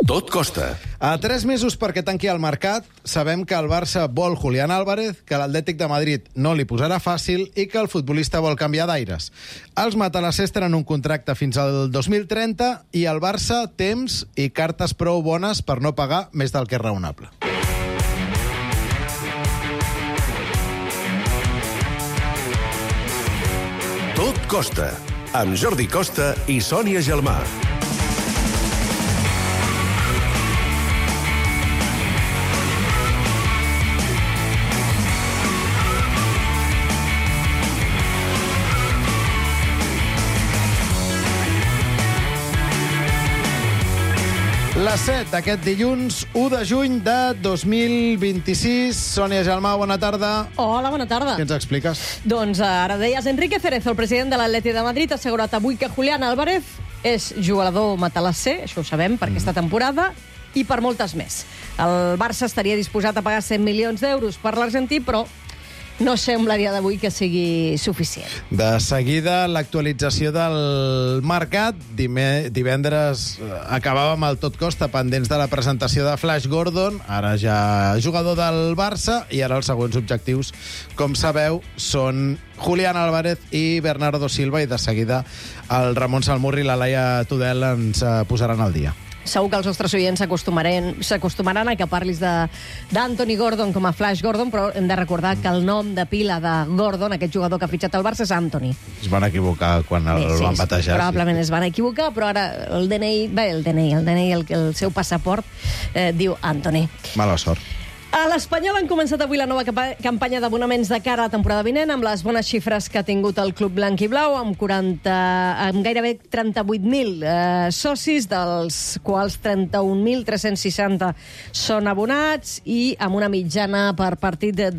Tot costa. A 3 mesos perquè tanqui el mercat, sabem que el Barça vol Julián Álvarez, que l'Atlètic de Madrid no li posarà fàcil i que el futbolista vol canviar d'aires. Els matalassers tenen un contracte fins al 2030 i el Barça temps i cartes prou bones per no pagar més del que és raonable. Tot costa. Amb Jordi Costa i Sònia Gelmà. Les 7 d'aquest dilluns, 1 de juny de 2026. Sònia Gelmà, bona tarda. Hola, bona tarda. Què ens expliques? Doncs ara deies, Enrique Cerezo, el president de l'Atlètic de Madrid, ha assegurat avui que Julián Álvarez és jugador matalasser, això ho sabem, per aquesta temporada, i per moltes més. El Barça estaria disposat a pagar 100 milions d'euros per l'argentí, però no sembla a dia d'avui que sigui suficient. De seguida, l'actualització del mercat. Divendres acabàvem el Tot Costa pendents de la presentació de Flash Gordon, ara ja jugador del Barça, i ara els següents objectius, com sabeu, són Julián Álvarez i Bernardo Silva, i de seguida el Ramon Salmurri i la Laia Tudel ens posaran al dia. Segur que els nostres oients s'acostumaran a que parlis d'Anthony Gordon com a Flash Gordon, però hem de recordar que el nom de pila de Gordon, aquest jugador que ha fitxat el Barça, és Anthony. Es van equivocar quan el van batejar. Probablement es van equivocar, però ara el DNI, el seu passaport, diu Anthony. Mala sort. A l'Espanyol han començat avui la nova campanya d'abonaments de cara a la temporada vinent, amb les bones xifres que ha tingut el club blanc i blau, amb gairebé 38.000 socis, dels quals 31.360 són abonats, i amb una mitjana per partit de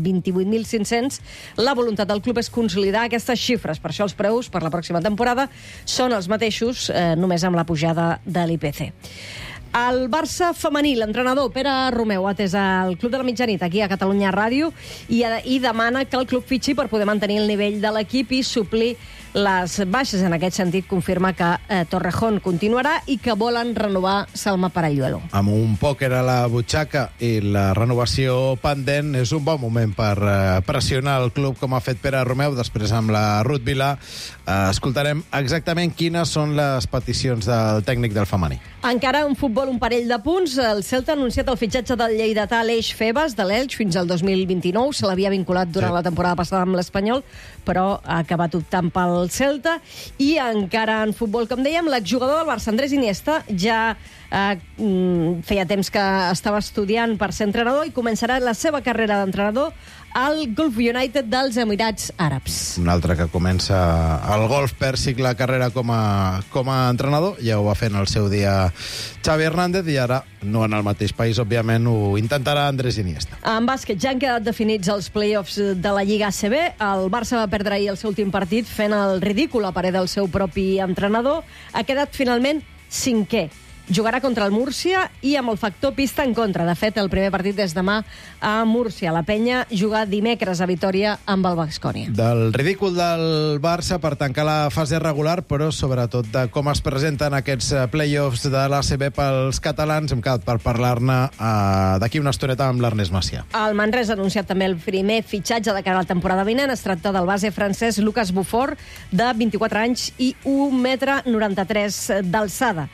28.500. La voluntat del club és consolidar aquestes xifres. Per això els preus per la pròxima temporada són els mateixos, només amb la pujada de l'IPC. El Barça femení, l'entrenador Pere Romeu, ha atès al Club de la Mitjanit aquí a Catalunya Ràdio i demana que el club fitxi per poder mantenir el nivell de l'equip i suplir les baixes. En aquest sentit, confirma que Torrejón continuarà i que volen renovar Salma Paralluelo. Amb un pòquer a la butxaca i la renovació pendent, és un bon moment per pressionar el club, com ha fet Pere Romeu. Després, amb la Ruth Vilà, escoltarem exactament quines són les peticions del tècnic del femení. Encara en futbol, un parell de punts. El Celta ha anunciat el fitxatge del lleidatà Aleix Febas, de l'Elx, fins al 2029. Se l'havia vinculat durant la temporada passada amb l'Espanyol, però ha acabat optant pel Celta. I encara en futbol, com dèiem, l'exjugador del Barça, Andrés Iniesta, ja feia temps que estava estudiant per ser entrenador i començarà la seva carrera d'entrenador al Gulf United dels Emirats Àrabs. Un altre que comença al golf pèrsic la carrera com a entrenador. Ja ho va fer en el seu dia Xavi Hernández i ara, no en el mateix país, òbviament, ho intentarà Andrés Iniesta. En bàsquet ja han quedat definits els play-offs de la Lliga ACB. El Barça va perdre ahir el seu últim partit fent el ridícul a parer del seu propi entrenador. Ha quedat finalment 5è. Jugarà contra el Múrcia i amb el factor pista en contra. De fet, el primer partit és demà a Múrcia. La Penya juga dimecres a Vitòria amb el Baskonia. Del ridícul del Barça per tancar la fase regular, però sobretot de com es presenten aquests play-offs de l'ACB pels catalans, hem quedat per parlar-ne d'aquí una estoneta amb l'Ernest Macià. El Manresa ha anunciat també el primer fitxatge de cara a la temporada vinent. Es tracta del base francès Lucas Buffon, de 24 anys i 1,93 m d'alçada.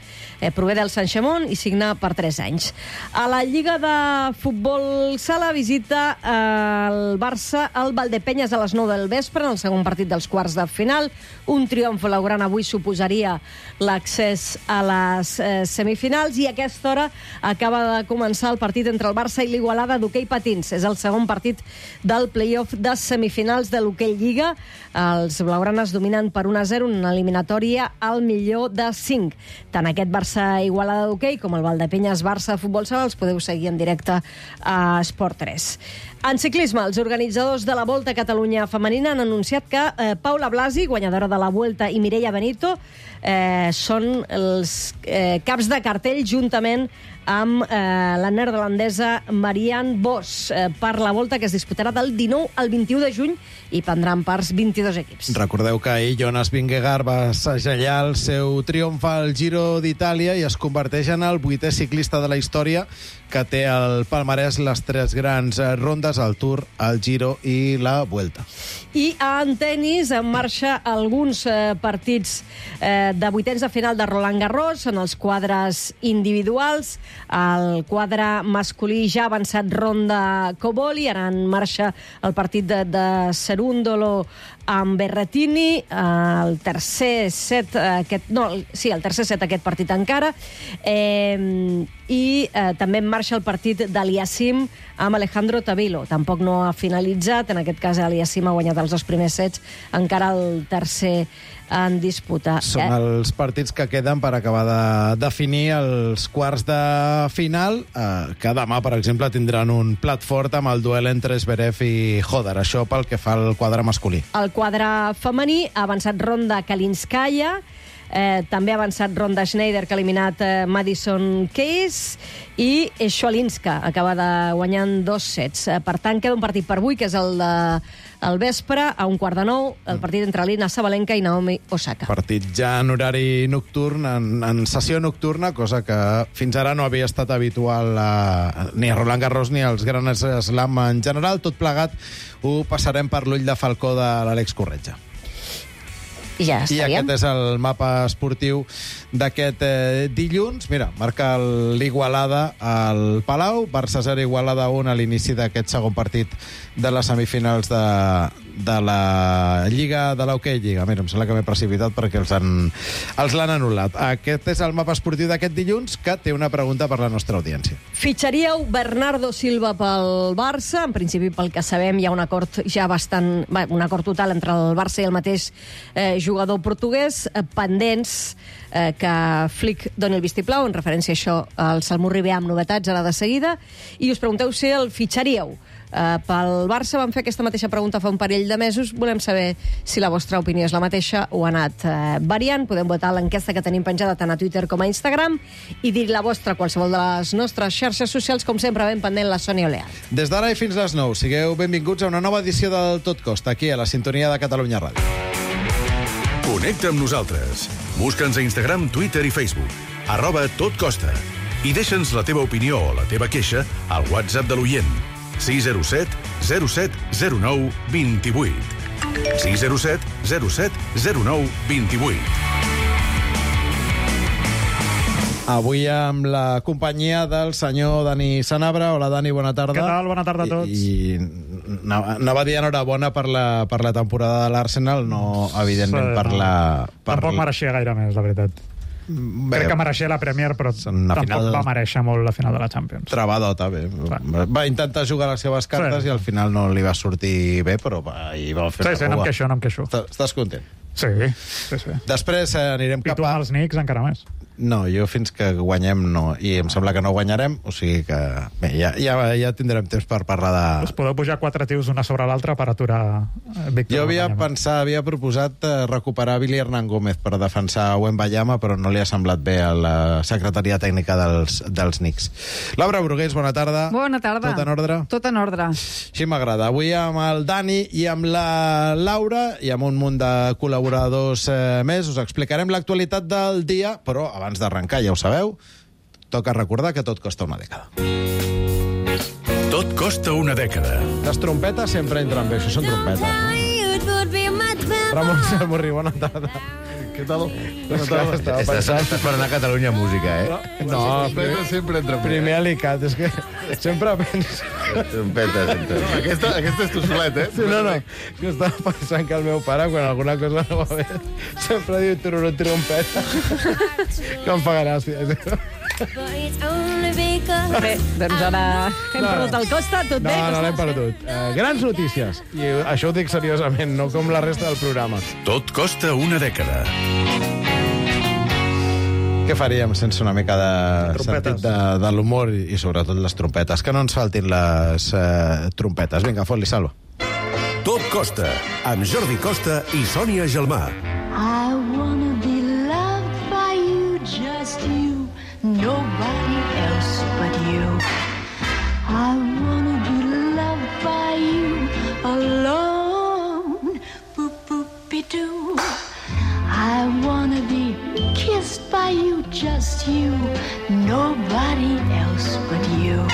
Prové del Sant-Xamón i signa per 3 anys. A la Lliga de Futbol Sala visita el Barça al Valdepenyes a les 9 del vespre, en el segon partit dels quarts de final. Un triomf blaugrana avui suposaria l'accés a les semifinals, i a aquesta hora acaba de començar el partit entre el Barça i l'Igualada d'hoquei patins. És el segon partit del play-off de semifinals de l'hoquei Lliga. Els blaugranes dominen per 1-0 en una eliminatòria al millor de 5. Tant aquest Barça-Igualada d'hoquei com el Valdepenyes-Barça de futbol sala els podeu seguir en directe a Esport 3. En ciclisme, els organitzadors de la Volta a Catalunya femenina han anunciat que Paula Blasi, guanyadora de la Vuelta, i Mireia Benito són els caps de cartell juntament amb la neerlandesa Marianne Vos per la volta que es disputarà del 19 al 21 de juny i prendran parts 22 equips. Recordeu que ahir Jonas Vingegaard va segellar el seu triomf al Giro d'Itàlia i es converteix en el 8è ciclista de la història que té al palmarès les 3 grans rondes, el Tour, el Giro i la Vuelta. I en tenis en marxa alguns partits de vuitens de final de Roland Garros en els quadres individuals. El quadre masculí ja ha avançat ronda Coboli, ara en marxa el partit de Cerúndolo amb Berrettini, el tercer set aquest partit encara, i també en marxa el partit d'Aliassim amb Alejandro Tavilo. Tampoc no ha finalitzat, en aquest cas Aliassim ha guanyat els 2 primers sets, encara el tercer en disputa. Són els partits que queden per acabar de definir els quarts de final, que demà, per exemple, tindran un plat fort amb el duel entre Zverev i Hodar. Això pel que fa al quadre masculí. El quadre femení ha avançat ronda Kalinskaya, també ha avançat ronda Schneider, que ha eliminat Madison Keys, i Schwalinska acaba de guanyar 2 sets. Per tant, queda un partit per avui, que és el de al vespre, a 8:45, el partit entre Alina Sabalenka i Naomi Osaka. Partit ja en horari nocturn, en sessió nocturna, cosa que fins ara no havia estat habitual ni a Roland Garros ni als Grans Slam en general. Tot plegat ho passarem per l'ull de falcó de l'Àlex Corretja. I ja estaríem. I aquest és el mapa esportiu d'aquest dilluns. Mira, marca l'Igualada al Palau, Barça 0, Igualada 1 a l'inici d'aquest segon partit de les semifinals de la Lliga, de l'Hockey Lliga. Mira, em sembla que m'he precipitat perquè els l'han anul·lat. Aquest és el mapa esportiu d'aquest dilluns, que té una pregunta per la nostra audiència. Fitxaríeu Bernardo Silva pel Barça? En principi, pel que sabem, hi ha un acord ja bastant... un acord total entre el Barça i el mateix jugador portuguès, pendents que Flick doni el vistiplau, en referència a això al Salmó Ribé amb novetats ara de seguida, i us pregunteu si el fitxaríeu. Pel Barça vam fer aquesta mateixa pregunta fa un parell de mesos. Volem saber si la vostra opinió és la mateixa o ha anat variant. Podem votar l'enquesta que tenim penjada tant a Twitter com a Instagram i dir la vostra a qualsevol de les nostres xarxes socials, com sempre ben pendent la Sònia Oleart. Des d'ara i fins les 9, sigueu benvinguts a una nova edició del Tot Costa, aquí a la sintonia de Catalunya Ràdio. Connecta amb nosaltres. Busca'ns a Instagram, Twitter i Facebook. @totcosta. I deixa'ns la teva opinió o la teva queixa al WhatsApp de l'oient. 607 07 09 28. 607 07 09 28. Avui amb la companyia del senyor Dani Sanabra. Hola, Dani, bona tarda. Què tal? Bona tarda a tots. I anava a dir enhorabona per la temporada de l'Arsenal, no, evidentment, per la... Tampoc mereixia gaire més, la veritat. Crec que mereixia la Premier, però tampoc va mereixer molt la final de la Champions. Trebadota, bé. Va intentar jugar les seves cartes i al final no li va sortir bé, però hi va fer una cua. No em queixo. Estàs content? Sí. Després anirem cap a... I tu amb els Knicks encara més. No, jo fins que guanyem no, i em sembla que no guanyarem, o sigui que bé, ja tindrem temps per parlar de... Us podeu pujar 4 tios una sobre l'altra per aturar Víctor. Jo havia proposat recuperar Billy Hernán Gómez per defensar Wembanyama, però no li ha semblat bé a la secretaria tècnica dels Knicks. Laura Brugués, bona tarda. Bona tarda. Tot en ordre? Tot en ordre. Així m'agrada. Avui amb el Dani i amb la Laura i amb un munt de col·laboradors més us explicarem l'actualitat del dia, però abans d'arrencar, ja ho sabeu, toca recordar que tot costa una dècada. Tot costa una dècada. Les trompetes sempre entren bé, això són trompetes, no? Ramon Salmurri, bona tarda. Què tal? Estàs per anar a Catalunya Música, eh? No, sempre entra bé. Primer alicat, és que sempre penso... Trompetes, entra. Aquesta és tu solet, eh? Sí, no, que estava pensant que el meu pare, quan alguna cosa no va bé, sempre diu tururut trompeta. Que em fa gràcia. Bé, doncs ara hem perdut el Costa, tot bé? No l'hem perdut. Grans notícies. I això ho dic seriosament, no com la resta del programa. Tot costa una dècada. Què faríem sense una mica de sentit de l'humor i sobretot les trompetes? Que no ens faltin les trompetes. Vinga, fot-li, Salva. Tot costa, amb Jordi Costa i Sònia Gelmà. I wanna be loved. nobody else but you. I wanna be loved by you alone, boop-boop-be-doo. I wanna be kissed by you, just you, nobody else but you.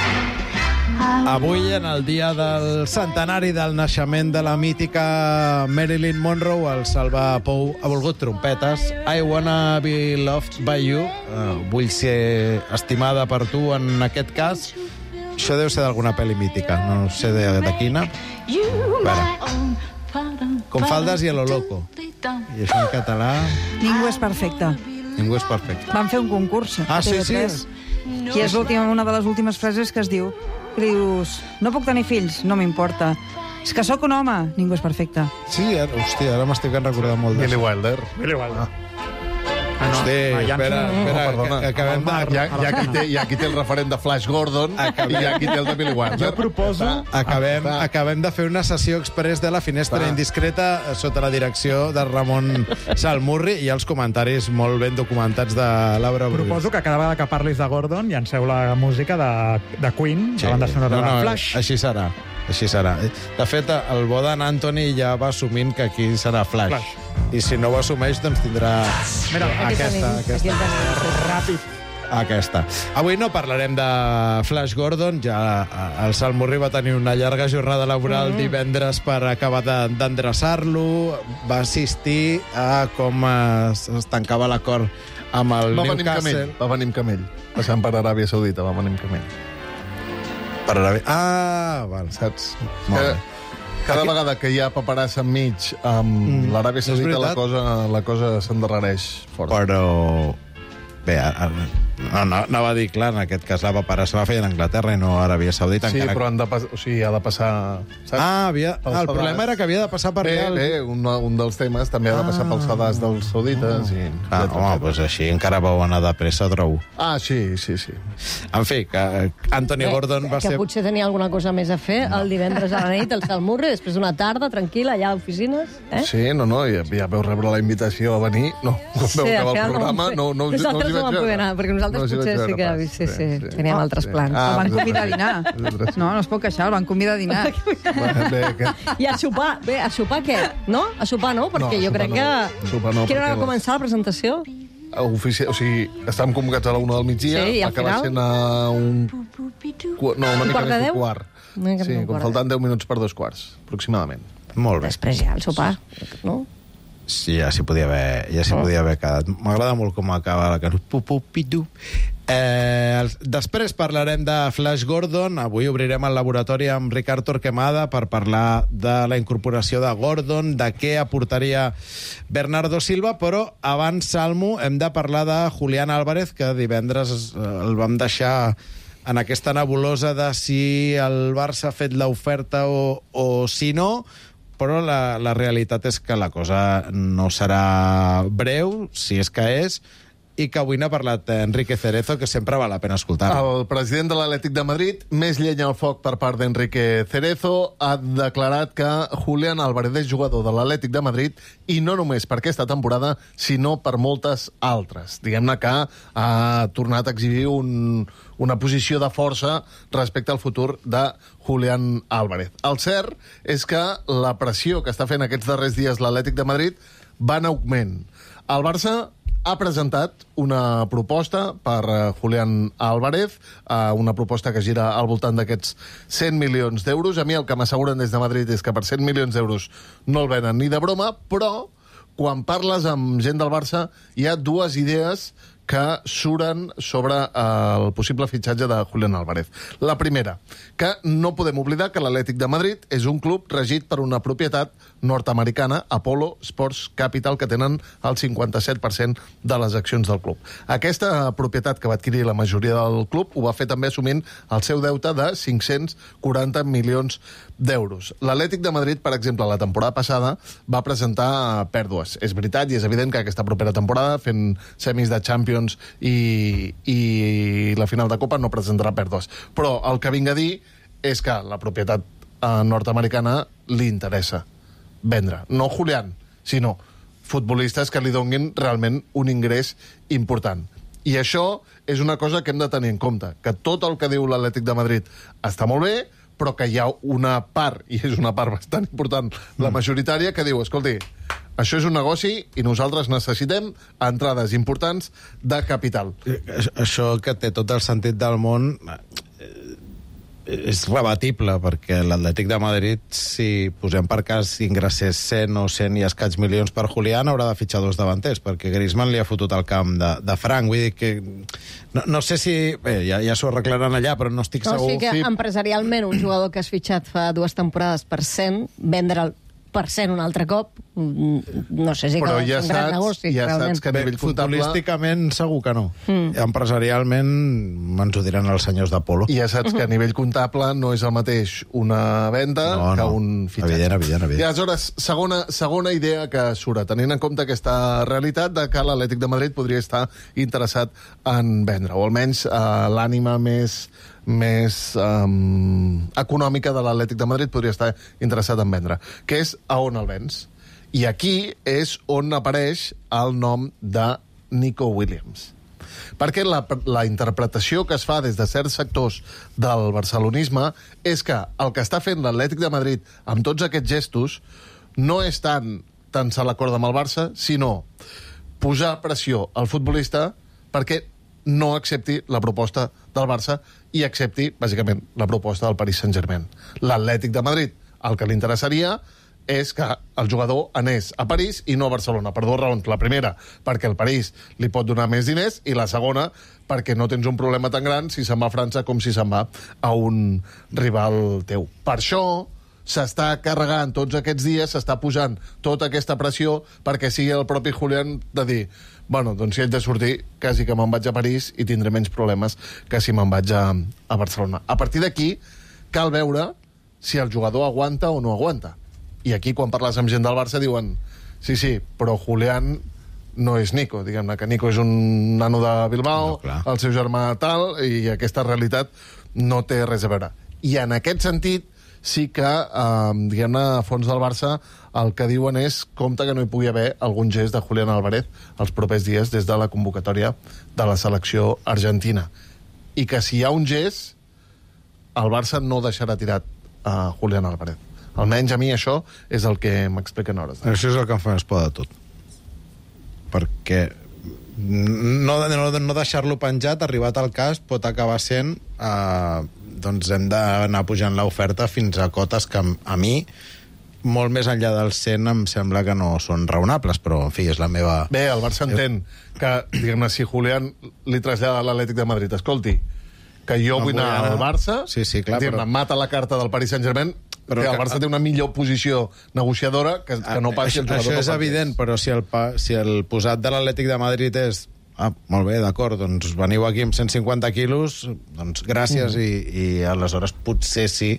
Avui, en el dia del centenari del naixement de la mítica Marilyn Monroe, el Salva Pou ha volgut trompetes. I wanna be loved by you. Vull ser estimada per tu, en aquest cas. Això deu ser d'alguna pel·li mítica, no sé de quina. Com faldes i a lo loco. I això en català... Ningú és perfecte. Ningú és perfecte. Van fer un concurs a TV3. Sí. I és una de les últimes frases que es diu. Que dius, no puc tenir fills, no m'importa. És que sóc un home, ningú és perfecte. Sí, hòstia, ara m'estic recordant molt d'això. Billy Wilder. Hosti, espera, que acabem de... Hi ha qui té el referent de Flash Gordon i hi ha qui té el de Billy Wilder. Jo proposo... Acabem de fer una sessió express de la finestra indiscreta sota la direcció de Ramon Salmurri i els comentaris molt ben documentats de Laura Brull. Proposo que cada vegada que parlis de Gordon llanceu la música de Queen, la banda sonora de Flash. Així serà. Així serà. De fet, el bo d'en Anthony ja va assumint que aquí serà Flash. I si no ho assumeix, doncs tindrà aquesta. Ràpid. Aquesta. Avui no parlarem de Flash Gordon, ja el Salmurri va tenir una llarga jornada laboral divendres per acabar d'endreçar-lo, va assistir a com es tancava l'acord amb el Newcastle. Va venir amb camell. Passant per Aràbia Saudita, va venir amb camell. Per Aràbia... Ah, val. Saps? Cada vegada que hi ha paperassa enmig amb l'Aràbia Saudita, la cosa s'endarrereix fort. Però... Bé, anava a dir, clar, en aquest cas la paperassa va fer a Anglaterra i no a Aràbia Saudita. Sí, però ha de passar... Saps? El problema era que havia de passar per allà... Bé, un dels temes també ha de passar pels sedars dels saudites. Home, doncs així encara vau anar de pressa, trobo. Sí. En fi, que Anthony Gordon va ser... Que potser tenia alguna cosa més a fer el divendres a la nit, el Salmurri, després d'una tarda tranquil·la allà a oficines. Sí, ja veu rebre la invitació a venir. No, quan veu acabar el programa, no us hi no vam poder anar, perquè nosaltres potser sí que teníem altres plans. El van convidar a dinar. No es pot queixar, el van convidar a dinar. I a sopar. Bé, a sopar què? No? A sopar no? Perquè jo crec que... Quina hora va començar la presentació? O sigui, estàvem convocats a la 1 del migdia, va acabar sent a un... No, una mica més d'un quart. Sí, com faltant 10 minuts per 2 quarts, aproximadament. Molt bé. Després ja el sopar, no? Sí, ja s'hi podia haver quedat. M'agrada molt com acaba la cançó. Després parlarem de Flash Gordon. Avui obrirem el laboratori amb Ricard Torquemada per parlar de la incorporació de Gordon, de què aportaria Bernardo Silva, però abans, Salmo, hem de parlar de Julián Álvarez, que divendres el vam deixar en aquesta nebulosa de si el Barça ha fet l'oferta o si no, però la realitat és que la cosa no serà breu, si és que és, i que avui n'ha parlat Enrique Cerezo, que sempre val la pena escoltar. El president de l'Atlètic de Madrid, més llenya al foc per part d'Enrique Cerezo, ha declarat que Julián Álvarez és jugador de l'Atlètic de Madrid i no només per aquesta temporada, sinó per moltes altres. Diguem-ne que ha tornat a exhibir una posició de força respecte al futur de Julián Álvarez. El cert és que la pressió que està fent aquests darrers dies l'Atlètic de Madrid va en augment. El Barça ha presentat una proposta per Julián Álvarez, una proposta que gira al voltant d'aquests 100 milions d'euros. A mi el que m'asseguren des de Madrid és que per 100 milions d'euros no el venen ni de broma, però quan parles amb gent del Barça hi ha dues idees que suren sobre el possible fitxatge de Julián Álvarez. La primera, que no podem oblidar que l'Atlètic de Madrid és un club regit per una propietat nord-americana, Apollo Sports Capital, que tenen el 57% de les accions del club. Aquesta propietat que va adquirir la majoria del club ho va fer també assumint el seu deute de 540 milions d'euros. L'Atlètic de Madrid, per exemple, la temporada passada va presentar pèrdues. És veritat i és evident que aquesta propera temporada, fent semis de Champions i la final de Copa, no presentarà pèrdues. Però el que vinc a dir és que la propietat nord-americana li interessa vendre. No Julián, sinó futbolistes que li donguin realment un ingrés important. I això és una cosa que hem de tenir en compte, que tot el que diu l'Atlètic de Madrid està molt bé, però que hi ha una part, i és una part bastant important, la majoritària, que diu, escolti, això és un negoci i nosaltres necessitem entrades importants de capital. Això que té tot el sentit del món és rebatible, perquè l'Atlètic de Madrid, si posem per cas ingressés 100 o 100 i escaig milions per Julián, haurà de fitxar 2 davanters, perquè Griezmann li ha fotut el camp de franc. Vull dir que... No sé si... Bé, ja s'ho arreglaran allà, però no estic segur... O sigui que empresarialment un jugador que has fitxat fa 2 temporades per 100, vendre'l per 100 un altre cop, no sé si però és un gran negoci. Ja saps que a nivell comptable... Futbolísticament segur que no. Empresarialment ens ho diran els senyors d'Apolo. I ja saps que a nivell comptable no és el mateix una venda que un fitxatge. Evident. I aleshores, segona idea que surt, tenint en compte aquesta realitat de que l'Atlètic de Madrid podria estar interessat en vendre, o almenys l'ànima més econòmica de l'Atlètic de Madrid podria estar interessat en vendre, que és a on el vens. I aquí és on apareix el nom de Nico Williams. Perquè la interpretació que es fa des de certs sectors del barcelonisme és que el que està fent l'Atlètic de Madrid amb tots aquests gestos no és tant se l'acord amb el Barça, sinó posar pressió al futbolista perquè no accepti la proposta del Barça i accepti, bàsicament, la proposta del Paris Saint-Germain. L'Atlètic de Madrid, el que li interessaria és que el jugador anés a París i no a Barcelona, per 2 raons. La primera, perquè el París li pot donar més diners, i la segona, perquè no tens un problema tan gran si se'n va a França com si se'n va a un rival teu. Per això s'està carregant tots aquests dies, s'està posant tota aquesta pressió perquè sigui el propi Julián de dir, bueno, doncs si haig de sortir, quasi que me'n vaig a París i tindré menys problemes que si me'n vaig a Barcelona. A partir d'aquí, cal veure si el jugador aguanta o no aguanta. I aquí, quan parles amb gent del Barça, diuen sí, però Julián no és Nico, diguem-ne, que Nico és un nano de Bilbao, el seu germà tal, i aquesta realitat no té res a veure. I en aquest sentit, sí que, diguem-ne, a fons del Barça, el que diuen és compte que no hi pugui haver algun gest de Julián Álvarez els propers dies des de la convocatòria de la selecció argentina. I que si hi ha un gest, el Barça no deixarà tirat a Julián Álvarez. Almenys a mi això és el que m'expliquen hores. Això és el que em fa més por de tot. Perquè no deixar-lo penjat, arribat al cas, pot acabar sent doncs hem d'anar pujant l'oferta fins a cotes que a mi, molt més enllà del 100, em sembla que no són raonables, però, en fi, és la meva... Bé, el Barça entén que, diguem-ne, si Julián li trasllada a l'Atlètic de Madrid, escolti, que jo vull anar al Barça, clar, però... mata la carta del Paris Saint-Germain, però que el Barça té una millor posició negociadora que no passi el jugador. Això és evident, però si el posat de l'Atlètic de Madrid és molt bé, d'acord, doncs veniu aquí amb 150 quilos, doncs gràcies, i aleshores potser sí,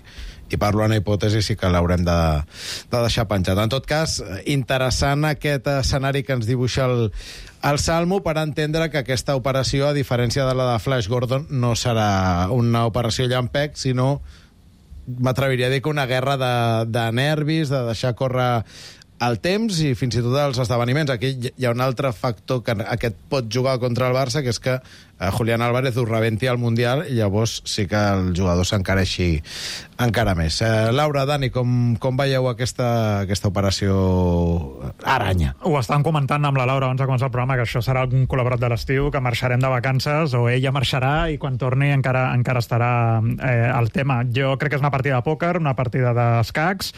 i parlo en hipòtesi, sí que l'haurem de deixar penjat. En tot cas, interessant aquest escenari que ens dibuixa el Salmo per entendre que aquesta operació, a diferència de la de Flash Gordon, no serà una operació llampec, sinó, m'atreviria a dir que una guerra de nervis, de deixar córrer el temps i fins i tot els esdeveniments. Aquí hi ha un altre factor que aquest pot jugar contra el Barça, que és que Julián Álvarez ho rebenti al Mundial i llavors sí que el jugador s'encareixi encara més. Laura, Dani, com veieu aquesta operació aranya? Ho estan comentant amb la Laura abans de començar el programa, que això serà algun col·laborat de l'estiu, que marxarem de vacances o ella marxarà i quan torni encara estarà el tema. Jo crec que és una partida de pòquer, una partida d'escacs,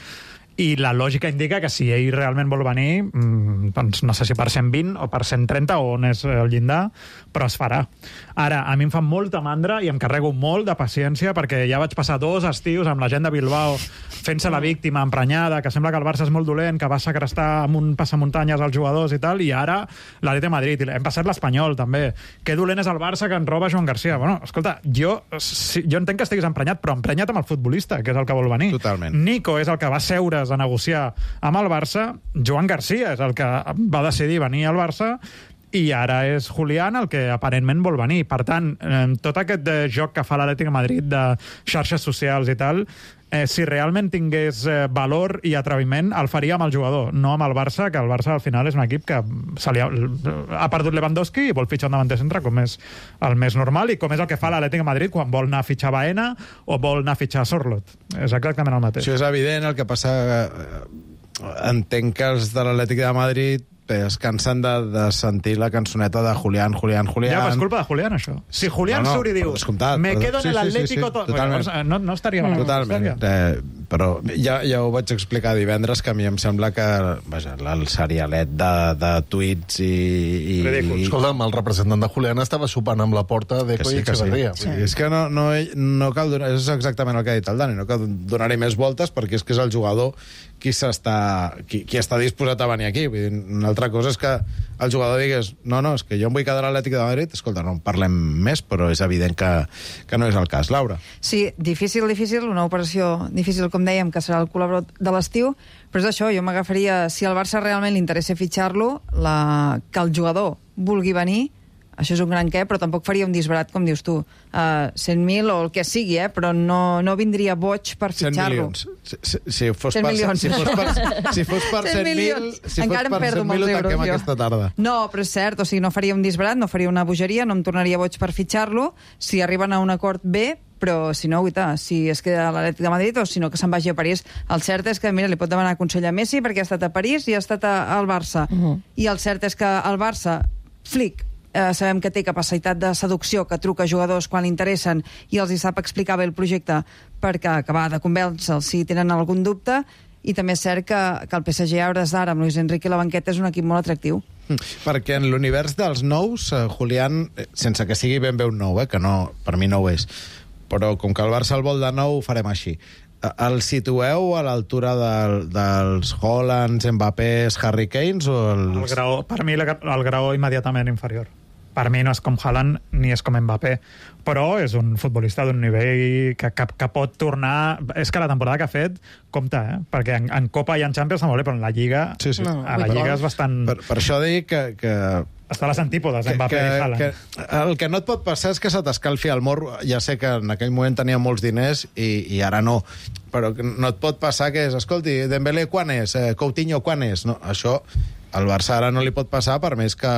i la lògica indica que si ell realment vol venir, doncs no sé si per 120 o per 130 o on és el llindar, però es farà. Ara, a mi em fa molta mandra i em carrego molt de paciència perquè ja vaig passar 2 estius amb la gent de Bilbao fent-se la víctima emprenyada, que sembla que el Barça és molt dolent, que va segrestar amb un passamuntanyes als jugadors i tal, i ara l'Atlètic de Madrid. Hem passat l'Espanyol, també. Que dolent és el Barça que en roba Joan Garcia. Bueno, escolta, jo entenc que estiguis emprenyat, però emprenyat amb el futbolista, que és el que vol venir. Totalment. Nico és el que va seure's a negociar amb el Barça, Joan Garcia és el que va decidir venir al Barça, i ara és Julián el que aparentment vol venir. Per tant, tot aquest joc que fa l'Atlètic de Madrid de xarxes socials i tal, si realment tingués valor i atreviment, el faria amb el jugador, no amb el Barça, que el Barça al final és un equip que ha perdut Lewandowski i vol fitxar un davanter centre, com és el més normal, i com és el que fa l'Atlètic de Madrid quan vol anar a fitxar Baena o vol anar a fitxar Sorloth. És exactament el mateix. Això és evident, el que passa... Entenc que els de l'Atlètic de Madrid es cansen de sentir la cançoneta de Julián. Ja, però és culpa de Julián, això. Si Julián surt i diu me quedo en el Atlético... No estaria mal. Totalment. Però ja ho vaig explicar divendres, que a mi em sembla que el serialet de tuits i... Escolta'm, el representant de Julián estava sopant amb la porta de Coi Echeverría. És que no cal donar... És exactament el que ha dit el Dani. No cal donar-hi més voltes, perquè és que és el jugador qui està disposat a venir aquí. Vull dir, una altra cosa és que el jugador digués és que jo em vull quedar a l'Atlètic de Madrid. Escolta, no en parlem més, però és evident que no és el cas. Laura? Sí, difícil, una operació difícil, com dèiem, que serà el col·laborador de l'estiu, però és això, jo m'agafaria, si al Barça realment li interessa fitxar-lo, que el jugador vulgui venir, això és un gran què, però tampoc faria un disbarat, com dius tu. 100.000 o el que sigui, però no vindria boig per fitxar-lo. 100 milions. Si fos per 100.000, encara em perdo molts euros, tanquem aquesta tarda. No, però és cert, o sigui, no faria un disbarat, no faria una bogeria, no em tornaria boig per fitxar-lo. Si arriben a un acord bé, però si no, si es queda a l'Atlètic de Madrid o si no, que se'n vagi a París. El cert és que, mira, li pot demanar consell a Messi perquè ha estat a París i ha estat al Barça. I el cert és que el Barça, Flick, sabem que té capacitat de seducció, que truca a jugadors quan li interessen i els hi sap explicar bé el projecte perquè acabar de convèncer si tenen algun dubte, i també és cert que el PSG a hores d'ara amb Luis Enrique i la banqueta és un equip molt atractiu. Perquè en l'univers dels nous, Julián, sense que sigui ben bé un nou, que no, per mi no ho és, però com que el Barça el vol de nou, ho farem així. El situeu a l'altura dels Haalands, Mbappés, Harry Kanes o els... Per mi el graó immediatament inferior. Per mi no és com Haaland ni és com Mbappé, però és un futbolista d'un nivell que pot tornar... És que la temporada que ha fet, compte, perquè en Copa i en Champions està molt bé, però en la Lliga, a la Lliga és bastant... Per això dic que està a les antípodes, Mbappé i Haaland. El que no et pot passar és que se t'escalfi el morro. Ja sé que en aquell moment tenia molts diners i ara no, però no et pot passar que és, escolti, Dembélé quan és? Coutinho quan és? No, això al Barça ara no li pot passar, per més que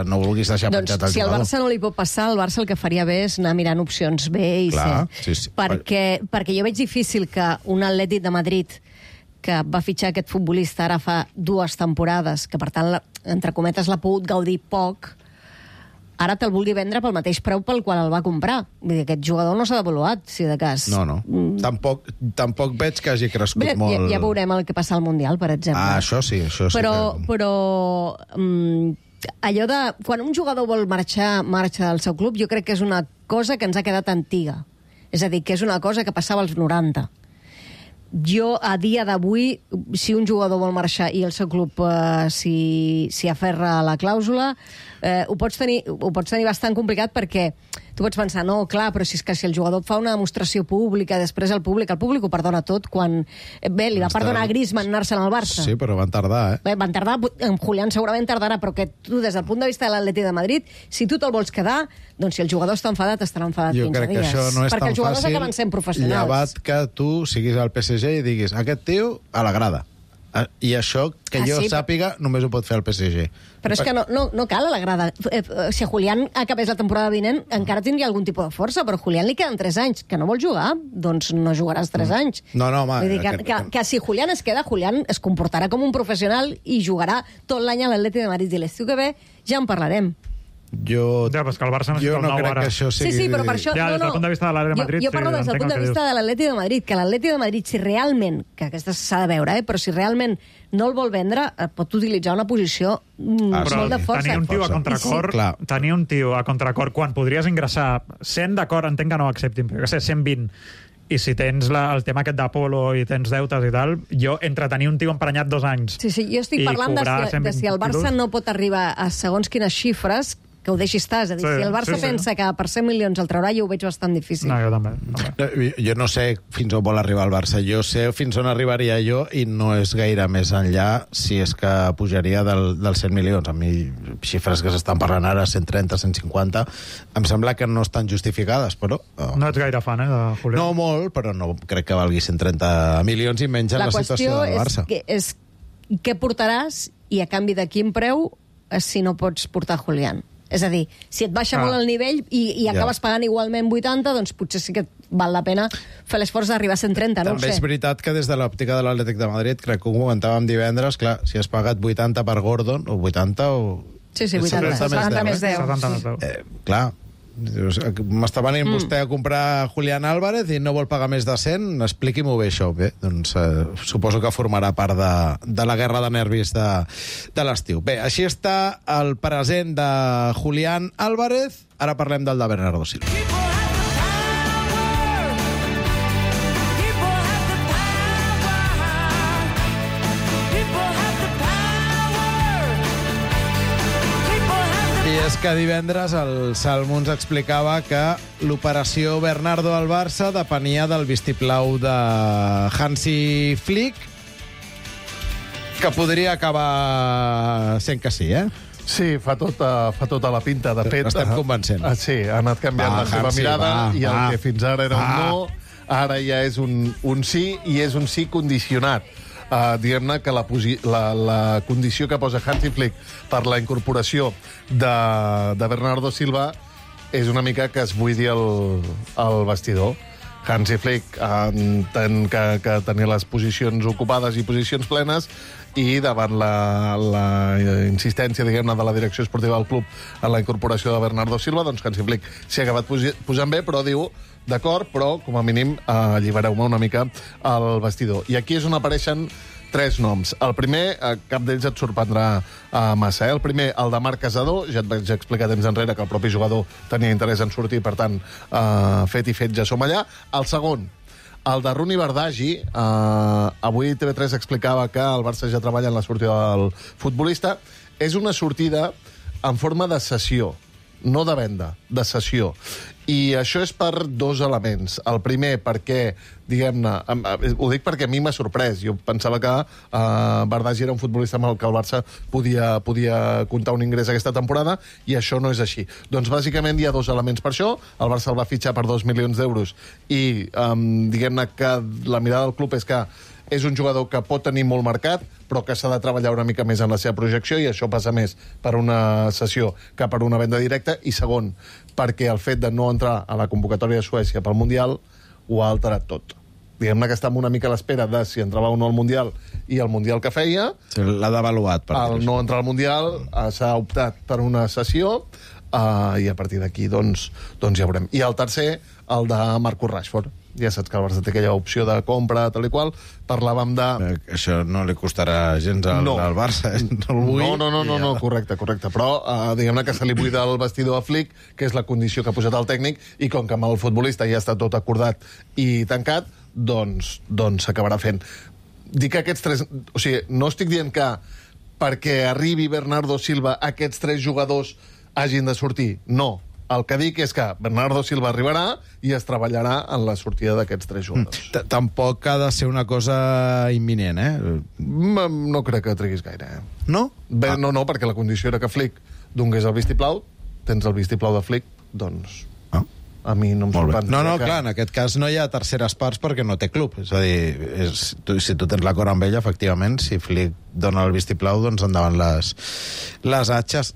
no vulguis deixar penjat el jugador. Si al Barça no li pot passar, el Barça el que faria bé és anar mirant opcions B i C. Sí. Perquè jo veig difícil que un Atlètic de Madrid que va fitxar aquest futbolista ara fa 2 temporades, que per tant, entre cometes, l'ha pogut gaudir poc, ara te'l vulgui vendre pel mateix preu pel qual el va comprar. Vull dir, aquest jugador no s'ha devaluat, si de cas. No. Tampoc veig que hagi crescut molt. Ja veurem el que passa al Mundial, per exemple. Això sí. Però allò de... Quan un jugador vol marxa del seu club, jo crec que és una cosa que ens ha quedat antiga. És a dir, que és una cosa que passava als 90. Jo, a dia d'avui, si un jugador vol marxar i el seu club s'hi aferra a la clàusula, ho pots tenir bastant complicat, perquè tu pots pensar, no, clar, però si és que si el jugador fa una demostració pública, després el públic ho perdona tot, quan... Bé, li va perdonar a Griezmann anar-se'n al Barça. Sí, però van tardar, Bé, van tardar, en Julián segurament tardarà, però que tu, des del punt de vista de l'Atlètic de Madrid, si tu te'l vols quedar, doncs si el jugador està enfadat, estarà enfadat 15 dies. Jo crec que això no és perquè tan els jugadors fàcil, acaben sent professionals. llevat que tu siguis al PSG i diguis, aquest tio a la grada. I això, que jo sàpiga, només ho pot fer el PSG. Però és que no cal a la grada. Si Julián acabés la temporada vinent, encara tindria algun tipus de força, però a Julián li queden 3 anys. Que no vol jugar, doncs no jugaràs 3 anys. No, home... Vull dir que si Julián es queda, Julián es comportarà com un professional i jugarà tot l'any a l'Atlètic de Madrid. I l'estiu que ve ja en parlarem. Jo però és que el Barça necessita no crec que això sigui... Sí, però per això... Ja, des del punt de vista de l'Atlètic de Madrid... Jo parlo des del punt de vista de l'Atlètic de Madrid, que l'Atlètic de Madrid, si realment, que aquesta s'ha de veure, però si realment no el vol vendre, pot utilitzar una posició molt de força. Tenir un tio a contracor, tenir un tio a contracor quan podries ingressar 100, d'acord, entenc que no ho acceptin, però que sé, 120, i si tens el tema aquest d'Apolo i tens deutes i tal, jo, entre tenir un tio emprenyat 2 anys... Sí, jo estic parlant de si el Barça no pot arribar a segons quines xifres que ho deixi estar. És a dir, si el Barça pensa que per 100 milions el traurà, jo ho veig bastant difícil. No, jo també. Jo no sé fins on vol arribar el Barça. Jo sé fins on arribaria jo i no és gaire més enllà si és que pujaria dels 100 milions. A mi, xifres que s'estan parlant ara, 130, 150, em sembla que no estan justificades, però... No ets gaire fan, de Julián? No molt, però no crec que valgui 130 milions i menys en la situació del Barça. La qüestió és què portaràs i a canvi de quin preu si no pots portar Julián. És a dir, si et baixa molt el nivell i acabes pagant igualment 80, doncs potser sí que val la pena fer l'esforç d'arribar a 130, no ho sé. També és veritat que des de l'òptica de l'Atlètic de Madrid, crec que ho comentàvem divendres, clar, si has pagat 80 per Gordon, o 80 o... Sí, 80, 70 més 10. 70 més 10. Clar, m'està venint vostè a comprar Julián Álvarez i no vol pagar més de 100, expliqui-m'ho bé això. Bé, doncs suposo que formarà part de la guerra de nervis de l'estiu. Bé, així està el present de Julián Álvarez. Ara parlem del de Bernardo Silva. I és que divendres el Salmo ens explicava que l'operació Bernardo al Barça depenia del vistiplau de Hansi Flick, que podria acabar sent que sí, eh? Sí, fa tota la pinta. De fet, estem convencent. Sí, ha anat canviant la seva mirada i el que fins ara era un no, ara ja és un sí, i és un sí condicionat. Diguem-ne que la condició que posa Hansi Flick per la incorporació de Bernardo Silva és una mica que es buidi el vestidor. Hansi Flick entén que tenia les posicions ocupades i posicions plenes, i davant la insistència, diguem-ne, de la direcció esportiva del club en la incorporació de Bernardo Silva, doncs Hansi Flick s'hi ha acabat posant bé, però diu, d'acord, però com a mínim allibereu-me una mica el vestidor. I aquí és on apareixen 3 noms. El primer, cap d'ells et sorprendrà massa. El primer, el de Marc Casadó, ja et vaig explicar temps enrere que el propi jugador tenia interès en sortir, per tant, fet i fet, ja som allà. El segon, el de Runi Bardagi, avui TV3 explicava que el Barça ja treballa en la sortida del futbolista. És una sortida en forma de cessió, no de venda, de cessió. I això és per 2 elements. El primer, perquè, diguem-ne, ho dic perquè a mi m'ha sorprès. Jo pensava que Bardagi era un futbolista amb el que el Barça podia comptar un ingrés aquesta temporada, i això no és així. Doncs bàsicament hi ha 2 elements per això. El Barça el va fitxar per 2 milions d'euros i diguem-ne que la mirada del club és que és un jugador que pot tenir molt mercat, però que s'ha de treballar una mica més en la seva projecció, i això passa més per una cessió que per una venda directa. I segon, perquè el fet de no entrar a la convocatòria de Suècia pel Mundial ho ha alterat tot. Diguem-ne que estem una mica a l'espera de si entrava o no al Mundial i el Mundial que feia. L'ha devaluat. Al no entrar al Mundial s'ha optat per una cessió, i a partir d'aquí doncs ja veurem. I el tercer, el de Marcus Rashford. Ja saps que el Barça té aquella opció de compra, tal i qual. Parlàvem de... Això no li costarà gens al Barça, No, correcte. Però diguem-ne que se li buida el vestidor a Flick, que és la condició que ha posat el tècnic, i com que amb el futbolista ja està tot acordat i tancat, doncs s'acabarà fent. Dic que aquests 3... O sigui, no estic dient que perquè arribi Bernardo Silva aquests 3 jugadors hagin de sortir. No. El que dic és que Bernardo Silva arribarà i es treballarà en la sortida d'aquests 3 jugadors. Tampoc ha de ser una cosa imminent, eh? No crec que triguis gaire, eh? No? Bé, no, perquè la condició era que Flick donés el vistiplau. Tens el vistiplau de Flick, doncs... A mi no em sorprèn. No, clar, en aquest cas no hi ha terceres parts perquè no té club. És a dir, si tu tens l'acord amb ella, efectivament, si Flick dona el vistiplau, doncs endavant les atxes.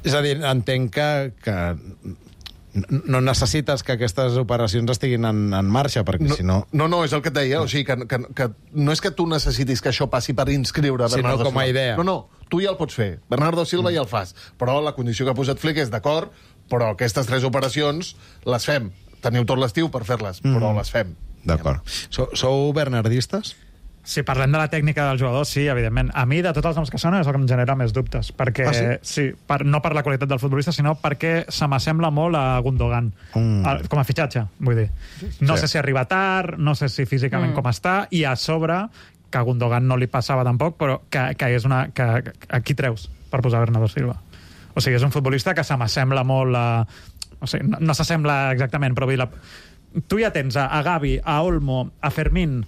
És a dir, entenc que no necessites que aquestes operacions estiguin en marxa, perquè si no... No, és el que et deia. O sigui, que no és que tu necessitis que això passi per inscriure Bernardo Silva. Sinó com a idea. No, tu ja el pots fer. Bernardo Silva ja el fas. Però la condició que ha posat Flick és d'acord, però aquestes 3 operacions les fem. Teniu tot l'estiu per fer-les, però les fem. D'acord. Sou bernardistes? Si parlem de la tècnica del jugador, sí, evidentment. A mi, de tots els noms que sonen, és el que em genera més dubtes. Perquè, no per la qualitat del futbolista, sinó perquè se m'assembla molt a Gundogan. Com a fitxatge, vull dir. No sé si arriba tard, no sé si físicament com està, i a sobre, que a Gundogan no li passava tampoc, però que és una... Que aquí treus per posar Bernardo Silva. O sigui, és un futbolista que se m'assembla molt a... O sigui, no s'assembla exactament, però tu ja tens a Gavi, a Olmo, a Fermín...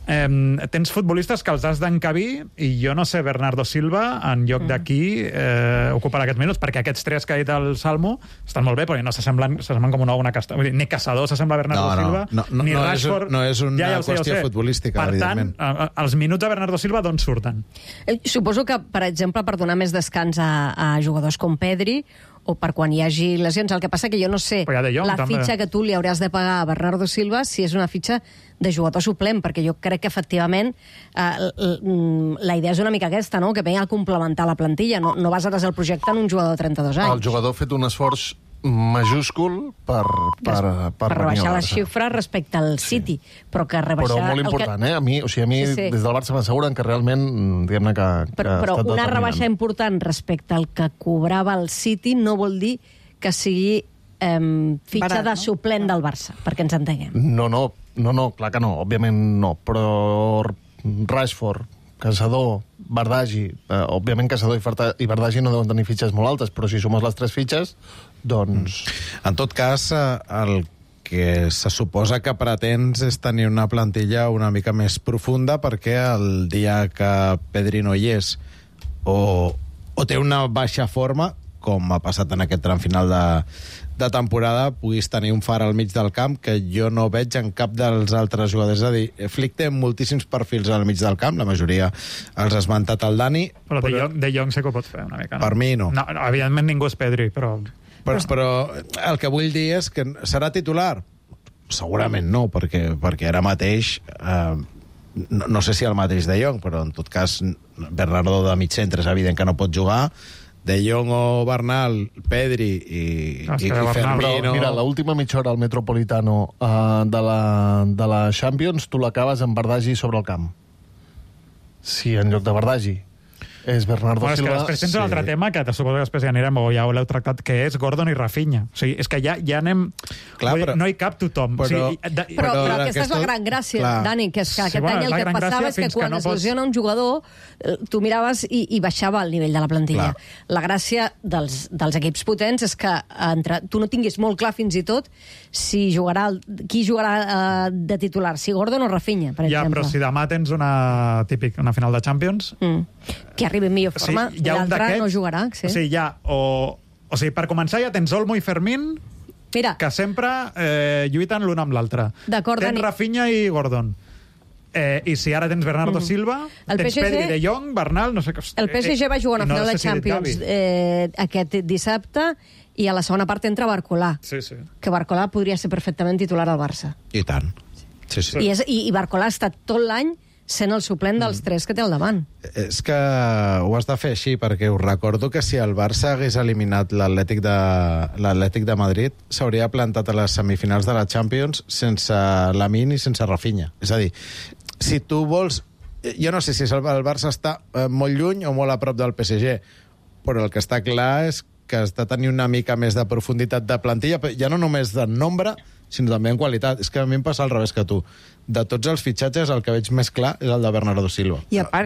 tens futbolistes que els has d'encabir i jo no sé, Bernardo Silva en lloc d'aquí ocuparà aquests minuts, perquè aquests tres que ha dit el Salmo estan molt bé, però no s'assemblen com una casta. Vull dir, ni Caçador s'assembla a Bernardo Silva, ni Rashford. No és una qüestió futbolística, evidentment. Per tant, els minuts de Bernardo Silva d'on surten? Suposo que, per exemple, per donar més descans a jugadors com Pedri o per quan hi hagi lesions. El que passa que jo no sé la fitxa que tu li hauràs de pagar a Bernardo Silva si és una fitxa de jugador suplent, perquè jo crec que efectivament la idea és una mica aquesta, no? Que ve a complementar la plantilla, no basares el projecte en un jugador de 32 anys. El jugador ha fet un esforç majúscul per rebaixar les xifres respecte al City, però que rebaixar... Però molt important, A mi des del Barça m'asseguren que realment, diguem-ne que però una rebaixa important respecte al que cobrava el City no vol dir que sigui fitxa de suplent del Barça, perquè ens entenguem. No, clar que no, òbviament no, però Rashford, Caçador, Bardagi, òbviament Caçador i Bardagi no deuen tenir fitxes molt altes, però si sumes les 3 fitxes, doncs... En tot cas, el que se suposa que pretens és tenir una plantilla una mica més profunda, perquè el dia que Pedri no hi és o té una baixa forma, com ha passat en aquest tram final de temporada, puguis tenir un Far al mig del camp que jo no veig en cap dels altres jugadors. És a dir, Flick té moltíssims perfils al mig del camp, la majoria els ha esmentat el Dani. Però De Jong sé que ho pot fer una mica, no? Per mi no. No, evidentment ningú és Pedri, però el que vull dir és que serà titular? Segurament no, perquè ara mateix... no sé si el mateix De Jong, però en tot cas Bernardo de mig centre és evident que no pot jugar. De Jong o Bernal, Pedri i Firmino... Mira, l'última mitja hora al Metropolitano de la Champions, tu l'acabes amb Bardagi sobre el camp. Si en lloc de Bardagi és Bernardo Silva... És que després tens un altre tema, que suposo que després ja anirem, o ja ho l'heu tractat, que és Gordon i Rafinha. O sigui, és que ja anem... Clar, però, no hi cap tothom. Però aquesta és la gran gràcia, Dani, que és que aquest any el que passava és que quan es lesiona un jugador, tu miraves i baixava el nivell de la plantilla. La gràcia dels equips potents és que tu no tinguis molt clar fins i tot qui jugarà de titular, si Gordon o Rafinha, per exemple. Ja, però si demà tens una final de Champions... que arribi en millor forma, i l'altre no jugarà. Sí. O sigui, o sigui, per començar ja tens Olmo i Fermín, que sempre lluiten l'un amb l'altre. Tens Rafinha i Gordon. I si ara tens Bernardo Silva, tens Pedri, De Jong, Bernal... No sé, el PSG va jugar una final de Champions aquest dissabte i a la segona part entra Barcolà. Sí. Que Barcolà podria ser perfectament titular al Barça. I tant. Sí. I Barcolà ha estat tot l'any sent el suplent dels 3 que té al davant. És que ho has de fer així, perquè us recordo que si el Barça hagués eliminat l'Atlètic de Madrid, s'hauria plantat a les semifinals de la Champions sense Lamine i sense Rafinha. És a dir, si tu vols... Jo no sé si el Barça està molt lluny o molt a prop del PSG, però el que està clar és que has de tenir una mica més de profunditat de plantilla, ja no només de nombre, sinó també en qualitat. És que a mi em passa al revés que tu. De tots els fitxatges, el que veig més clar és el de Bernardo Silva.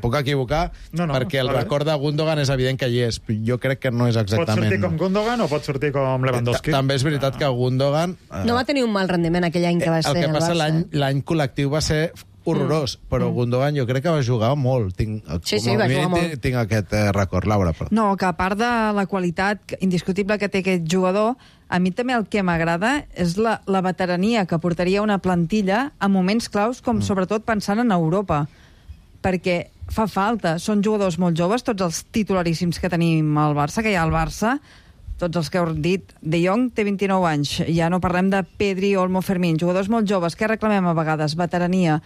Puc equivocar, perquè el record de Gundogan és evident que hi és. Jo crec que no és exactament... Pot sortir com Gundogan o pot sortir com Lewandowski? També és veritat que Gundogan... No va tenir un mal rendiment aquell any que va ser el Barça. El que passa, l'any col·lectiu va ser horrorós, però Gundogan jo crec que va jugar molt. Va jugar molt. Tinc aquest record, Laura. No, que a part de la qualitat indiscutible que té aquest jugador, a mi també el que m'agrada és la veterania que portaria una plantilla a moments claus, com sobretot pensant en Europa. Perquè fa falta. Són jugadors molt joves, tots els titularíssims que tenim al Barça, que hi ha al Barça, tots els que heu dit. De Jong té 29 anys, ja no parlem de Pedri, Olmo, Fermín, jugadors molt joves. Què reclamem a vegades? Veterania.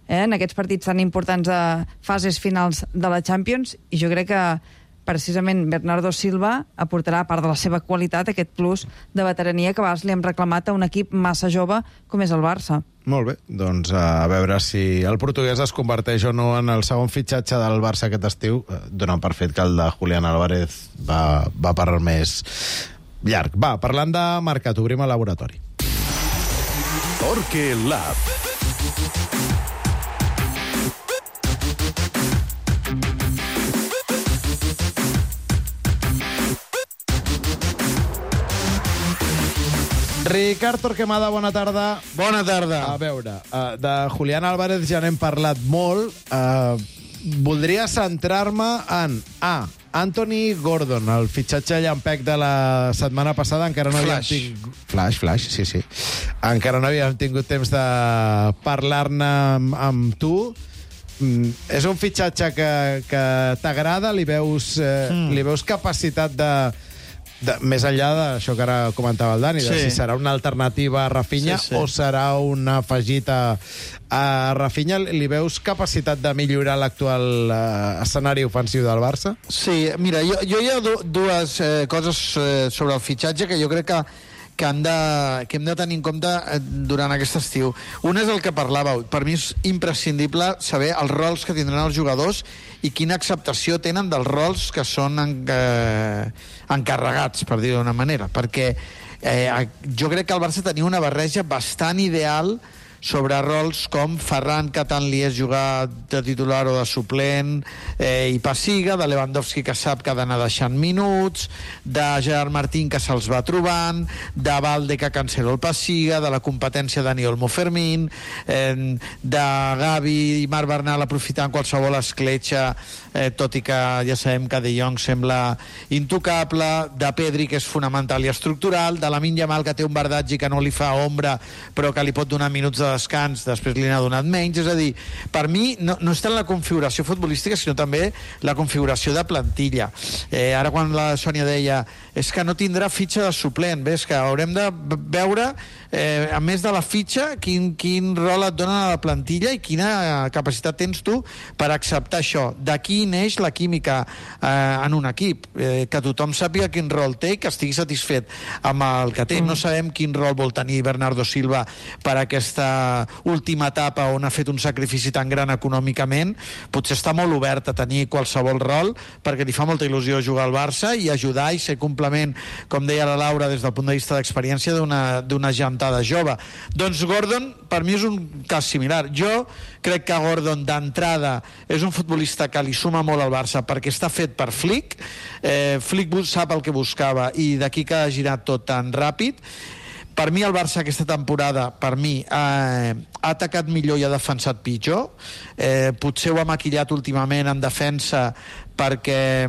En aquests partits tan importants de fases finals de la Champions, i jo crec que precisament Bernardo Silva aportarà, a part de la seva qualitat, aquest plus de veterania que a vegades li hem reclamat a un equip massa jove com és el Barça. Molt bé, doncs a veure si el portuguès es converteix o no en el segon fitxatge del Barça aquest estiu, donant per fet que el de Julián Álvarez va per més llarg. Va, parlant de mercat, obrim el laboratori. Torque Lab. Ricard Torquemada, bona tarda. Bona tarda. A veure, de Julián Álvarez ja n'hem parlat molt. Voldria centrar-me en Anthony Gordon, el fitxatge llampec de la setmana passada. Encara no havíem tingut... Flash, sí. Encara no havíem tingut temps de parlar-ne amb tu. És un fitxatge que t'agrada? Li veus capacitat de més enllà d'això que ara comentava el Dani, de si serà una alternativa a Rafinha o serà un afegit a Rafinha, li veus capacitat de millorar l'actual escenari ofensiu del Barça? Sí, mira, jo hi ha dues coses sobre el fitxatge que jo crec que hem de tenir en compte durant aquest estiu. Un és el que parlàveu. Per mi és imprescindible saber els rols que tindran els jugadors i quina acceptació tenen dels rols que són encarregats, per dir-ho d'una manera. Perquè jo crec que el Barça tenia una barreja bastant ideal sobre rols com Ferran, que tant li és jugar de titular o de suplent, i Passiga, de Lewandowski, que sap que ha d'anar deixant minuts, de Gerard Martín, que se'ls va trobant, de Valde, que cancela el Passiga, de la competència Dani Olmo Fermín, de Gavi i Marc Bernal aprofitant qualsevol escletxa, tot i que ja sabem que De Jong sembla intocable, de Pedri, que és fonamental i estructural, de Lamine Yamal, que té un verdatge que no li fa ombra, però que li pot donar minuts de descans, després li n'ha donat menys. És a dir, per mi no és tant la configuració futbolística, sinó també la configuració de plantilla. Ara quan la Sònia deia és que no tindrà fitxa de suplent, és que haurem de veure, a més de la fitxa, quin rol et dona la plantilla i quina capacitat tens tu per acceptar això. D'aquí neix la química en un equip, que tothom sàpiga quin rol té i que estigui satisfet amb el que té. No sabem quin rol vol tenir Bernardo Silva per aquesta última etapa on ha fet un sacrifici tan gran econòmicament. Potser està molt obert a tenir qualsevol rol perquè li fa molta il·lusió jugar al Barça i ajudar i ser complement, com deia la Laura, des del punt de vista d'experiència d'una gentada jove. Doncs Gordon per mi és un cas similar. Jo crec que Gordon d'entrada és un futbolista que li suma molt al Barça perquè està fet per Flick. Flick sap el que buscava i d'aquí que ha girat tot tan ràpid. Per mi el Barça aquesta temporada ha atacat millor i ha defensat pitjor. Potser ho ha maquillat últimament en defensa perquè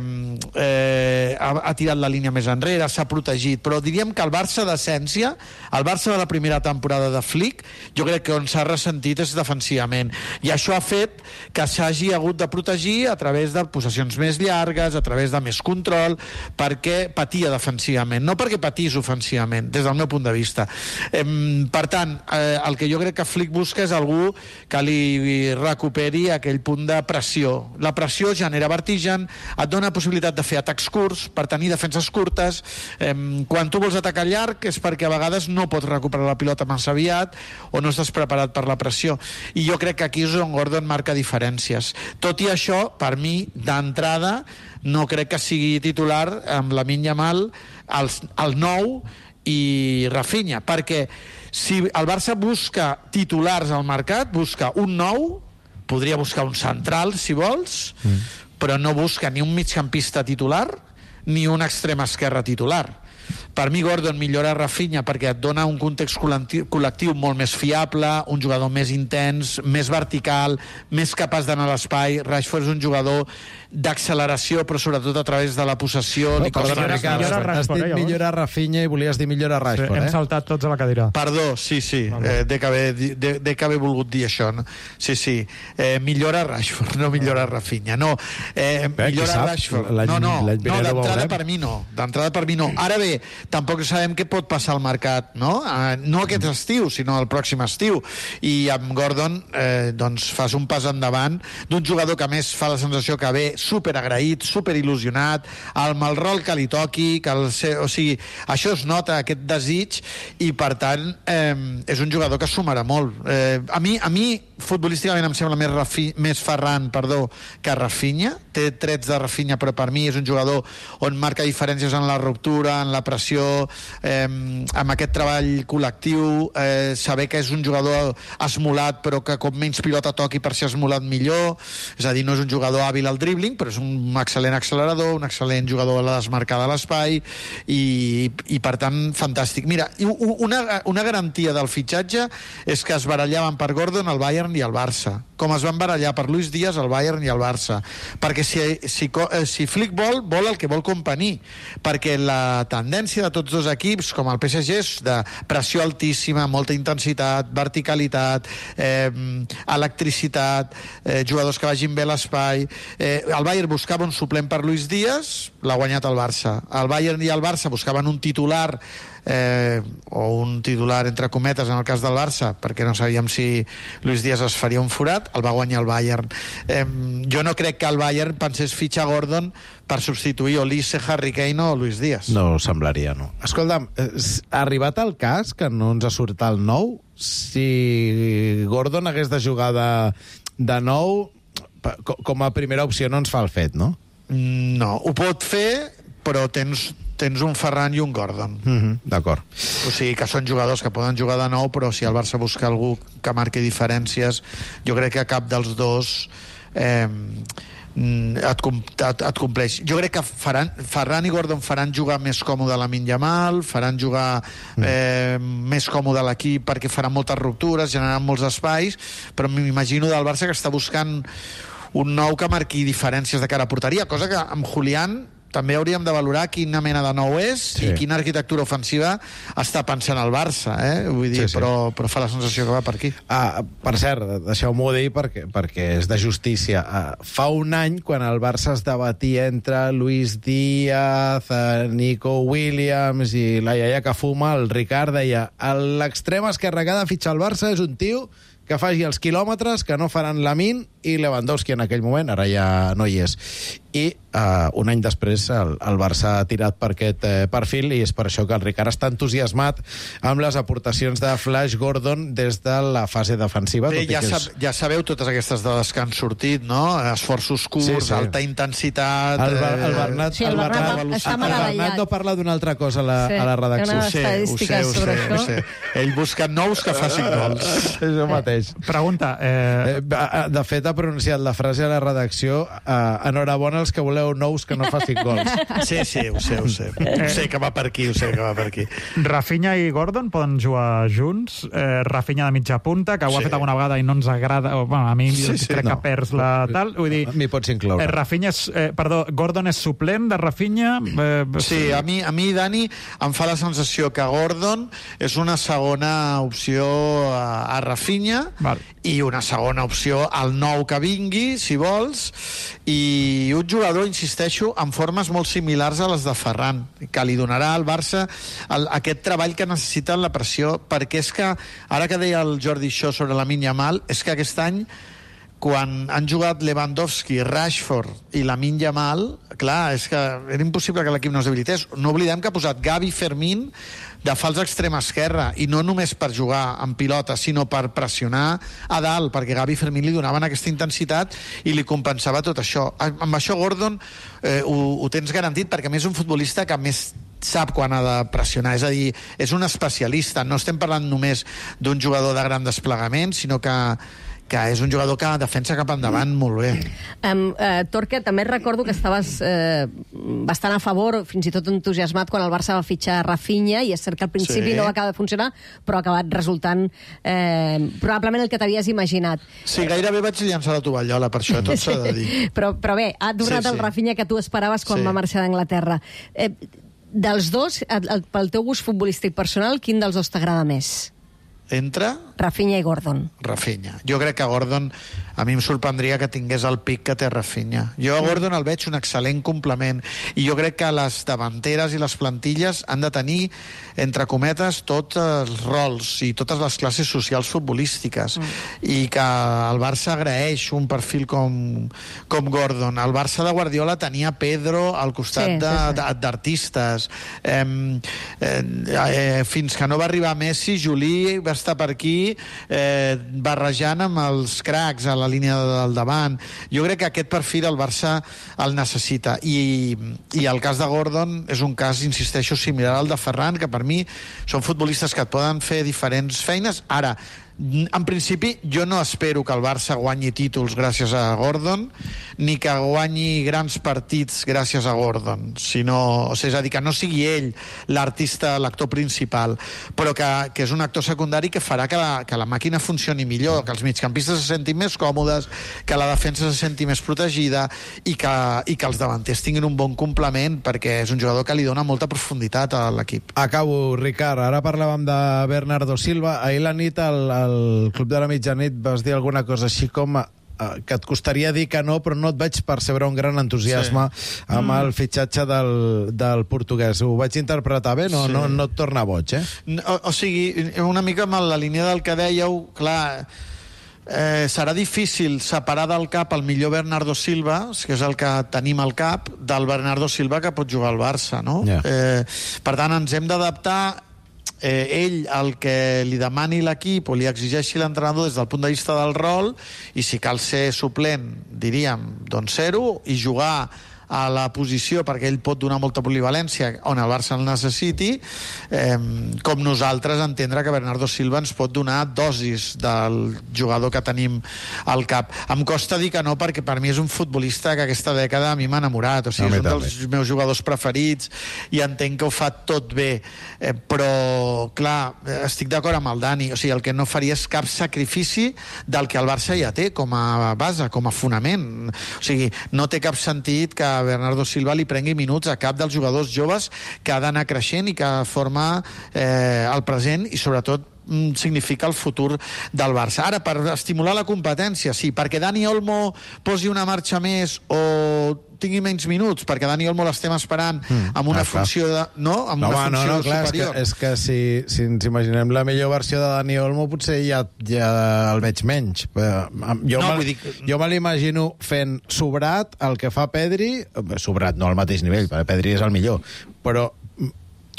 ha tirat la línia més enrere, s'ha protegit, però diríem que el Barça d'essència, el Barça de la primera temporada de Flick, jo crec que on s'ha ressentit és defensivament, i això ha fet que s'hagi hagut de protegir a través de possessions més llargues, a través de més control, perquè patia defensivament, no perquè patís ofensivament, des del meu punt de vista. Per tant, el que jo crec que Flick busca és algú que li recuperi aquell punt de pressió. La pressió genera vertigen, et dona possibilitat de fer atacs curts, per tenir defenses curtes. Quan tu vols atacar llarg és perquè a vegades no pots recuperar la pilota massa aviat o no estàs preparat per la pressió. I jo crec que aquí és on Gordon marca diferències. Tot i això, per mi, d'entrada, no crec que sigui titular amb Lamine Yamal, el 9 i Rafinha, perquè si el Barça busca titulars al mercat, busca un 9, podria buscar un central, si vols, però no busca ni un migcampista titular ni un extrem esquerre titular. Per mi Gordon millora Rafinha perquè et dona un context col·lectiu molt més fiable, un jugador més intens, més vertical, més capaç d'anar a l'espai. Rashford és un jugador d'acceleració, però sobretot a través de la possessió. Perdona, Ricard, has dit millora Rafinha i volies dir millora Rashford, Hem saltat tots a la cadira. Perdó, sí. De que haver volgut dir això, no? Sí. Millora Rashford, no millora Rafinha. No, millora Rashford. No, d'entrada per mi no. D'entrada per mi no. Ara bé, tampoc sabem què pot passar al mercat, no? No aquest estiu, sinó el pròxim estiu. I amb Gordon doncs fas un pas endavant d'un jugador que a més fa la sensació que ve superagraït, superil·lusionat, amb el rol que li toqui, o sigui, això es nota, aquest desig, i per tant és un jugador que sumarà molt. A mi futbolísticament em sembla més Ferran, que Rafinha, té trets de Rafinha, però per mi és un jugador on marca diferències en la ruptura, en la pressió, amb aquest treball col·lectiu, saber que és un jugador esmolat, però que com menys pilota toqui per ser esmolat millor, és a dir, no és un jugador hàbil al dribbling, però és un excel·lent accelerador, un excel·lent jugador a la desmarcada a l'espai, i per tant, fantàstic. Mira, una garantia del fitxatge és que es barallaven per Gordon el Bayern i el Barça, com es van barallar per Luis Díaz el Bayern i el Barça, perquè si Flick vol el que vol Kompany, perquè la tendència de tots dos equips, com el PSG, és de pressió altíssima, molta intensitat, verticalitat, electricitat, jugadors que vagin bé a l'espai. El Bayern buscava un suplent per Luis Díaz, l'ha guanyat el Barça. El Bayern i el Barça buscaven un titular, o un titular entre cometes en el cas del Barça, perquè no sabíem si Luis Díaz es faria un forat, el va guanyar el Bayern. Jo no crec que el Bayern pensés fitxar Gordon per substituir Olise, Harry Kane o Luis Díaz. No semblaria, no. Escolta'm, ha arribat el cas que no ens ha sortit el nou? Si Gordon hagués de jugar de nou, com a primera opció no ens fa el fet, no? No, ho pot fer, però tens un Ferran i un Gordon. D'acord. O sigui que són jugadors que poden jugar de nou, però si el Barça busca algú que marqui diferències, jo crec que cap dels dos et compleix. Jo crec que Ferran i Gordon faran jugar més còmode Lamine Yamal, faran jugar més còmode l'equip perquè faran moltes ruptures, generaran molts espais, però m'imagino del Barça que està buscant un nou que marqui diferències de cara a porteria, cosa que amb Julián també hauríem de valorar quina mena de nou és i quina arquitectura ofensiva està pensant el Barça, vull dir, però fa la sensació que va per aquí. Per cert, deixeu-m'ho dir perquè és de justícia. Fa un any, quan el Barça es debatia entre Luis Díaz, Nico Williams i la iaia que fuma, el Ricard deia: l'extrem esquerre que ha de fitxar el Barça és un tio que faci els quilòmetres que no faran Lamine i Lewandowski en aquell moment, ara ja no hi és. I un any després el Barça ha tirat per aquest perfil, i és per això que el Ricard està entusiasmat amb les aportacions de Flash Gordon des de la fase defensiva. Bé, ja sabeu totes aquestes dades que han sortit, no? Esforços curts, alta intensitat... El Bernat està meravellat. no parla d'una altra cosa a la redacció. Ho sé. Ell busca nous que facin gols. És el mateix. Pregunta. De fet, ha pronunciat la frase a la redacció: enhorabona els que voleu nous que no facin gols. Sí, ho sé. Ho sé que va per aquí, Rafinha i Gordon poden jugar junts. Rafinha de mitja punta, que ho ha fet alguna vegada i no ens agrada. A mi crec que perds la tal. Vull dir, m'hi pots incloure. Gordon és suplent de Rafinha? Sí, a mi, Dani, em fa la sensació que Gordon és una segona opció a Rafinha, i una segona opció al nou que vingui, si vols, i un jugador, insisteixo, amb formes molt similars a les de Ferran, que li donarà al Barça aquest treball que necessita en la pressió, perquè és que, ara que deia el Jordi Shaw sobre Lamine Yamal, és que aquest any, quan han jugat Lewandowski, Rashford i Lamine Yamal, clar, és que era impossible que l'equip no es debilités. No oblidem que ha posat Gavi, Fermín de fals extrema esquerra, i no només per jugar en pilota, sinó per pressionar a dalt, perquè Gavi i Fermín li donaven aquesta intensitat i li compensava tot això. Amb això Gordon ho tens garantit, perquè a més és un futbolista que més sap quan ha de pressionar, és a dir, és un especialista. No estem parlant només d'un jugador de gran desplegament, sinó que és un jugador que defensa cap endavant molt bé. Torque, també recordo que estaves bastant a favor, fins i tot entusiasmat, quan el Barça va fitxar Rafinha, i és cert que al principi no va acabar de funcionar, però ha acabat resultant probablement el que t'havies imaginat. Sí, gairebé vaig llançar la tovallola, per això, tot s'ha de dir. Però bé, ha donat el Rafinha que tu esperaves quan va marxar d'Anglaterra. Dels dos, pel teu gust futbolístic personal, quin dels dos t'agrada més? Entre? Rafinha i Gordon. Rafinha. Jo crec que Gordon, a mi em sorprendria que tingués el pic que té Rafinha. Jo a Gordon el veig un excel·lent complement, i jo crec que les davanteres i les plantilles han de tenir, entre cometes, tots els rols i totes les classes socials futbolístiques, i que el Barça agraeix un perfil com Gordon. El Barça de Guardiola tenia Pedro al costat d'artistes. Fins que no va arribar Messi, Juli va estar per aquí barrejant amb els cracs, la línia del davant. Jo crec que aquest perfil el Barça el necessita. I el cas de Gordon és un cas, insisteixo, similar al de Ferran, que per mi són futbolistes que et poden fer diferents feines. Ara, en principi, jo no espero que el Barça guanyi títols gràcies a Gordon, ni que guanyi grans partits gràcies a Gordon, sinó, és a dir, que no sigui ell l'artista, l'actor principal, però que és un actor secundari que farà que la màquina funcioni millor, que els migcampistes se sentin més còmodes, que la defensa se senti més protegida i que els davanters tinguin un bon complement, perquè és un jugador que li dona molta profunditat a l'equip. Acabo, Ricard. Ara parlàvem de Bernardo Silva. Ahir la nit al Club de la Mitjanit vas dir alguna cosa així com que et costaria dir que no, però no et vaig percebre un gran entusiasme amb el fitxatge del portuguès. Ho vaig interpretar bé? No et torna boig, eh? O sigui, una mica amb la línia del que dèieu, clar, serà difícil separar del cap el millor Bernardo Silva, que és el que tenim al cap, del Bernardo Silva que pot jugar al Barça, no? Per tant, ens hem d'adaptar ell el que li demani l'equip o li exigeixi l'entrenador des del punt de vista del rol, i si cal ser suplent, diríem, doncs ser-ho, i jugar a la posició perquè ell pot donar molta polivalència on el Barça el necessiti, com nosaltres entendre que Bernardo Silva ens pot donar dosis del jugador que tenim al cap. Em costa dir que no, perquè per mi és un futbolista que aquesta dècada a mi m'ha enamorat, o sigui, és un dels meus jugadors preferits i entenc que ho fa tot bé, però clar, estic d'acord amb el Dani, o sigui, el que no faria és cap sacrifici del que el Barça ja té com a base, com a fonament. O sigui, no té cap sentit que Bernardo Silva li prengui minuts a cap dels jugadors joves que ha d'anar creixent i que forma el present i sobretot significa el futur del Barça. Ara, per estimular la competència, sí, perquè Dani Olmo posi una marxa més o tingui menys minuts, perquè Dani Olmo l'estem esperant amb una funció superior. És que si ens imaginem la millor versió de Dani Olmo, potser ja el veig menys. Jo me l'imagino fent sobrat el que fa Pedri, sobrat no al mateix nivell, perquè Pedri és el millor, però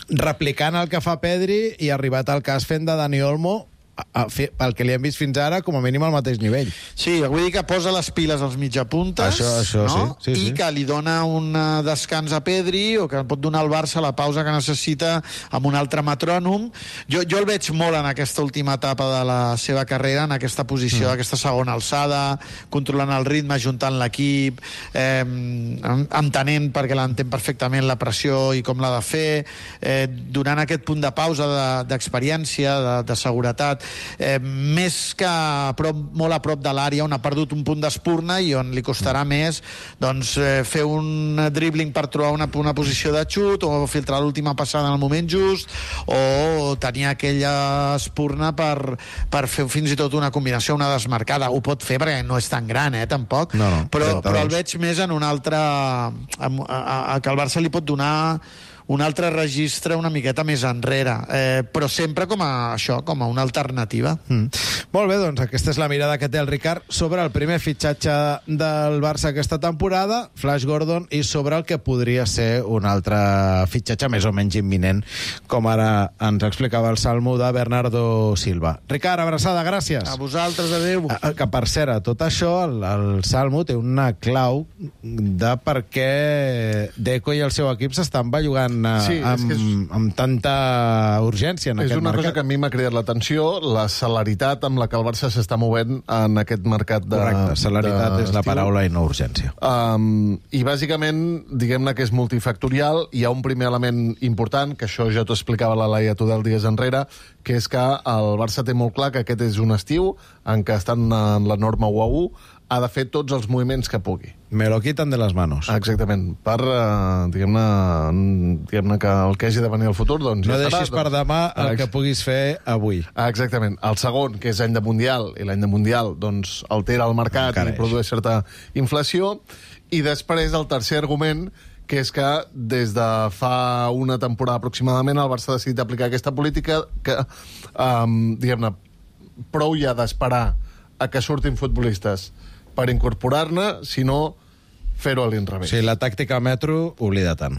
replicant el que fa Pedri i arribat al cas fent de Dani Olmo pel que li hem vist fins ara, com a mínim al mateix nivell. Sí, vull dir que posa les piles als mitjapuntes, això no? Sí. I que li dona un descans a Pedri, o que pot donar al Barça la pausa que necessita amb un altre metrònom. Jo el veig molt en aquesta última etapa de la seva carrera, en aquesta posició, aquesta segona alçada, controlant el ritme, ajuntant l'equip, entenent, perquè l'entén perfectament, la pressió i com l'ha de fer, donant aquest punt de pausa d'experiència, de seguretat, més que molt a prop de l'àrea on ha perdut un punt d'espurna i on li costarà més fer un dribbling per trobar una posició de xut o filtrar l'última passada en el moment just o tenir aquella espurna per fer fins i tot una combinació, una desmarcada. Ho pot fer perquè no és tan gran, tampoc, però el veig més en un altre que el Barça li pot donar un altre registre una miqueta més enrere, però sempre com a una alternativa. Molt bé, doncs aquesta és la mirada que té el Ricard sobre el primer fitxatge del Barça aquesta temporada, Flash Gordon, i sobre el que podria ser un altre fitxatge més o menys imminent, com ara ens explicava el Salmo de Bernardo Silva. Ricard, abraçada, gràcies. A vosaltres, adeu. Que per cert, a tot això, el Salmo té una clau de per què Deco i el seu equip s'estan bellugant amb tanta urgència en aquest mercat. És una cosa que a mi m'ha cridat l'atenció, la celeritat amb la que el Barça s'està movent en aquest mercat de... Correcte, celeritat és la paraula i no urgència. I bàsicament, diguem-ne que és multifactorial. Hi ha un primer element important, que això ja t'ho explicava la Laia Tudel dies enrere, que és que el Barça té molt clar que aquest és un estiu en què estan en la norma 1-1, ha de fer tots els moviments que pugui. Me lo quitan de les manos. Exactament. Per, diguem-ne que el que hagi de venir al futur, doncs no ja deixis per demà el que puguis fer avui. Exactament. El segon, que és any de Mundial, i l'any de Mundial doncs altera el mercat i produeix certa inflació. I després el tercer argument, que és que des de fa una temporada aproximadament el Barça ha decidit aplicar aquesta política que, diguem-ne, prou ja d'esperar a que surtin futbolistes per incorporar-ne, sinó fer-ho a l'inrevés. Sí, la tàctica metro, oblida-te'n.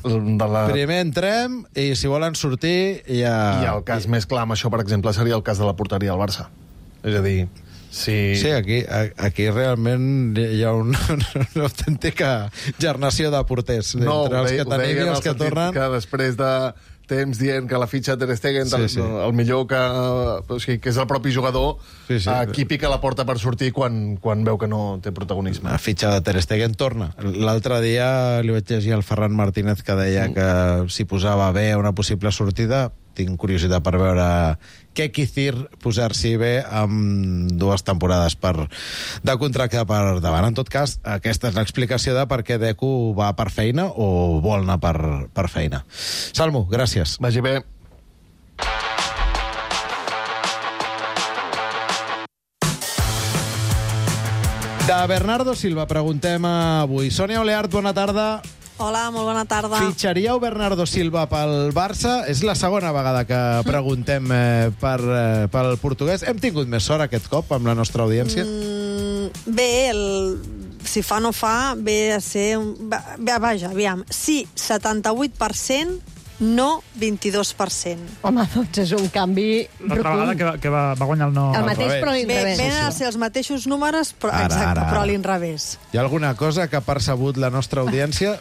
Primer entrem i si volen sortir ja... I el cas més clar amb això, per exemple, seria el cas de la porteria del Barça. És a dir, Sí. Sí, aquí realment hi ha una autèntica gernació de porters entre els que tenim i els que tornen. Que després de temps dient que la fitxa Ter Stegen, el millor que és el propi jugador, aquí pica la porta per sortir quan veu que no té protagonisme. La fitxa de Ter Stegen torna. L'altre dia li vaig llegir al Ferran Martínez que deia que si posava bé una possible sortida, tinc curiositat per veure què Kicir posar-s'hi bé amb 2 temporades de contracte per davant. En tot cas, aquesta és l'explicació de per què Deco va per feina o vol anar per feina. Salmo, gràcies. Vagi bé. De Bernardo Silva preguntem avui. Sònia Oleart, bona tarda. Hola, molt bona tarda. Fitxaríeu Bernardo Silva pel Barça? És la segona vegada que preguntem pel portuguès. Hem tingut més sort aquest cop amb la nostra audiència? Bé, si fa no fa, ve a ser... Vaja, aviam. Sí, 78%, no 22%. Home, doncs és un canvi rotund. L'altra vegada que va guanyar el no... El mateix, però a l'inrevés. Venen a ser els mateixos números, però però a l'inrevés. Hi ha alguna cosa que ha percebut la nostra audiència?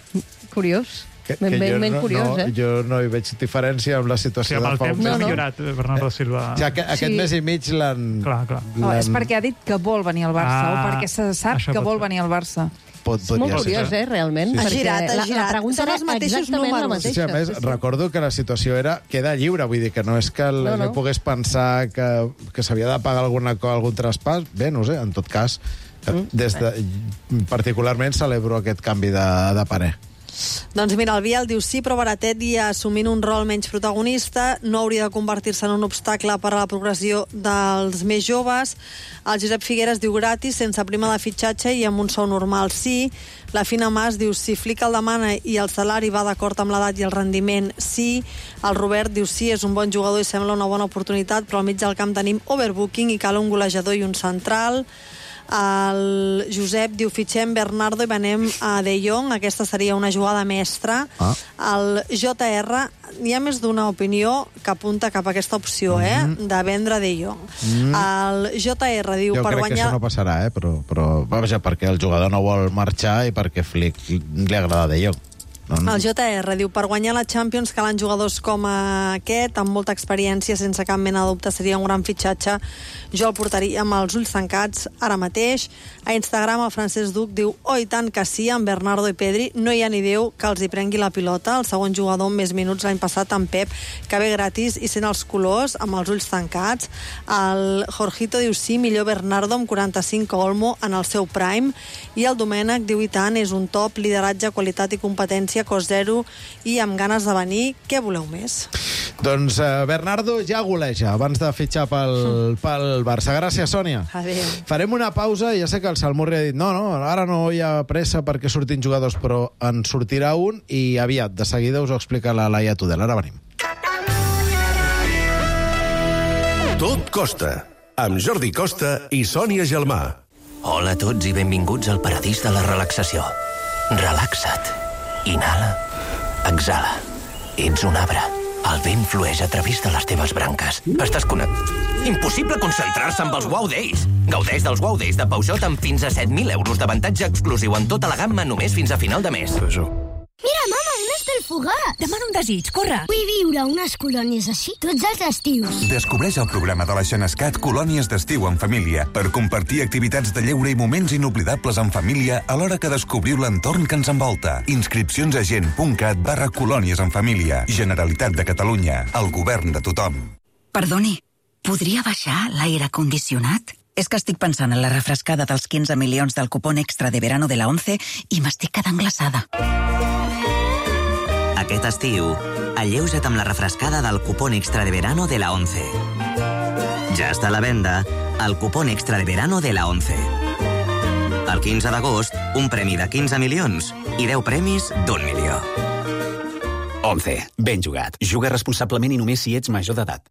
Curiós. Ben curiós, eh? Jo no hi veig diferència amb la situació amb el de fa un temps mes. ha millorat, Bernardo Silva. Aquest mes i mig l'han... Clar. És perquè ha dit que vol venir al Barça, o perquè se sap que vol venir al Barça. És molt curiós, realment. Ha girat. La pregunta són els mateixos números. Sí, a més, recordo que la situació era queda lliure, vull dir que no és que no pogués pensar que s'havia de pagar algun traspàs. Bé, no sé, en tot cas, particularment celebro aquest canvi de parer. Doncs mira, el Biel diu sí, però Baratet, ja assumint un rol menys protagonista, no hauria de convertir-se en un obstacle per a la progressió dels més joves. El Josep Figueres diu gratis, sense prima de fitxatge i amb un sou normal, sí. La Fina Mas diu si Flick el demana i el salari va d'acord amb l'edat i el rendiment, sí. El Robert diu sí, és un bon jugador i sembla una bona oportunitat, però al mig del camp tenim overbooking i cal un golejador i un central. El Josep diu fitxem Bernardo i venem a De Jong, aquesta seria una jugada mestra. El JR, hi ha més d'una opinió que apunta cap a aquesta opció, de vendre De Jong. El JR diu jo per crec guanyar... que això no passarà, però vaja, perquè el jugador no vol marxar i perquè Flick li agrada De Jong. El JR diu, per guanyar la Champions calen jugadors com aquest, amb molta experiència, sense cap mena de dubte, seria un gran fitxatge. Jo el portaria amb els ulls tancats ara mateix. A Instagram el Francesc Duc diu, i tant que sí, amb Bernardo i Pedri no hi ha ni Déu que els hi prengui la pilota. El segon jugador amb més minuts l'any passat, en Pep, que ve gratis i sent els colors, amb els ulls tancats. El Jorgito diu sí, millor Bernardo amb 45 Olmo en el seu prime. I el Domènec diu, i tant, és un top, lideratge, qualitat i competència, cost zero i amb ganes de venir. Què voleu més? Doncs Bernardo ja goleja abans de fitxar pel Barça. Gràcies, Sònia. Adéu. Farem una pausa. Ja sé que el Salmurri ha dit no, ara no hi ha pressa perquè surtin jugadors, però en sortirà un i aviat. De seguida us ho explica la Laia Tudel. Ara venim. Tot costa, amb Jordi Costa i Sònia Gelmà. Hola a tots i benvinguts al paradís de la relaxació. Relaxa't. Inhala. Exhala. Ets un arbre. El vent flueix a través de les teves branques. Estàs Impossible concentrar-se amb els Wow Days. Gaudeix dels Wow Days de Peugeot amb fins a 7.000 euros d'avantatge exclusiu en tota la gamma només fins a final de mes. Mira, mama, un estelfogat! Demana un desig, corre! Vull viure unes colònies així tots els estius. Descobreix el programa de la Xenescat Colònies d'estiu en família per compartir activitats de lleure i moments inoblidables en família alhora que descobriu l'entorn que ens envolta. Inscripcions a gent.cat/colònies en família. Generalitat de Catalunya. El govern de tothom. Perdoni, podria baixar l'aire condicionat? És que estic pensant en la refrescada dels 15 milions del cupón extra de verano de la 11 i m'estic quedant glaçada. Aquest estiu, alleuja't amb la refrescada del cupón extra de verano de la 11. Ja està a la venda el cupón extra de verano de la 11. El 15 d'agost, un premi de 15 milions i 10 premis d'1 milió. 11. Ben jugat. Juga responsablement i només si ets major d'edat.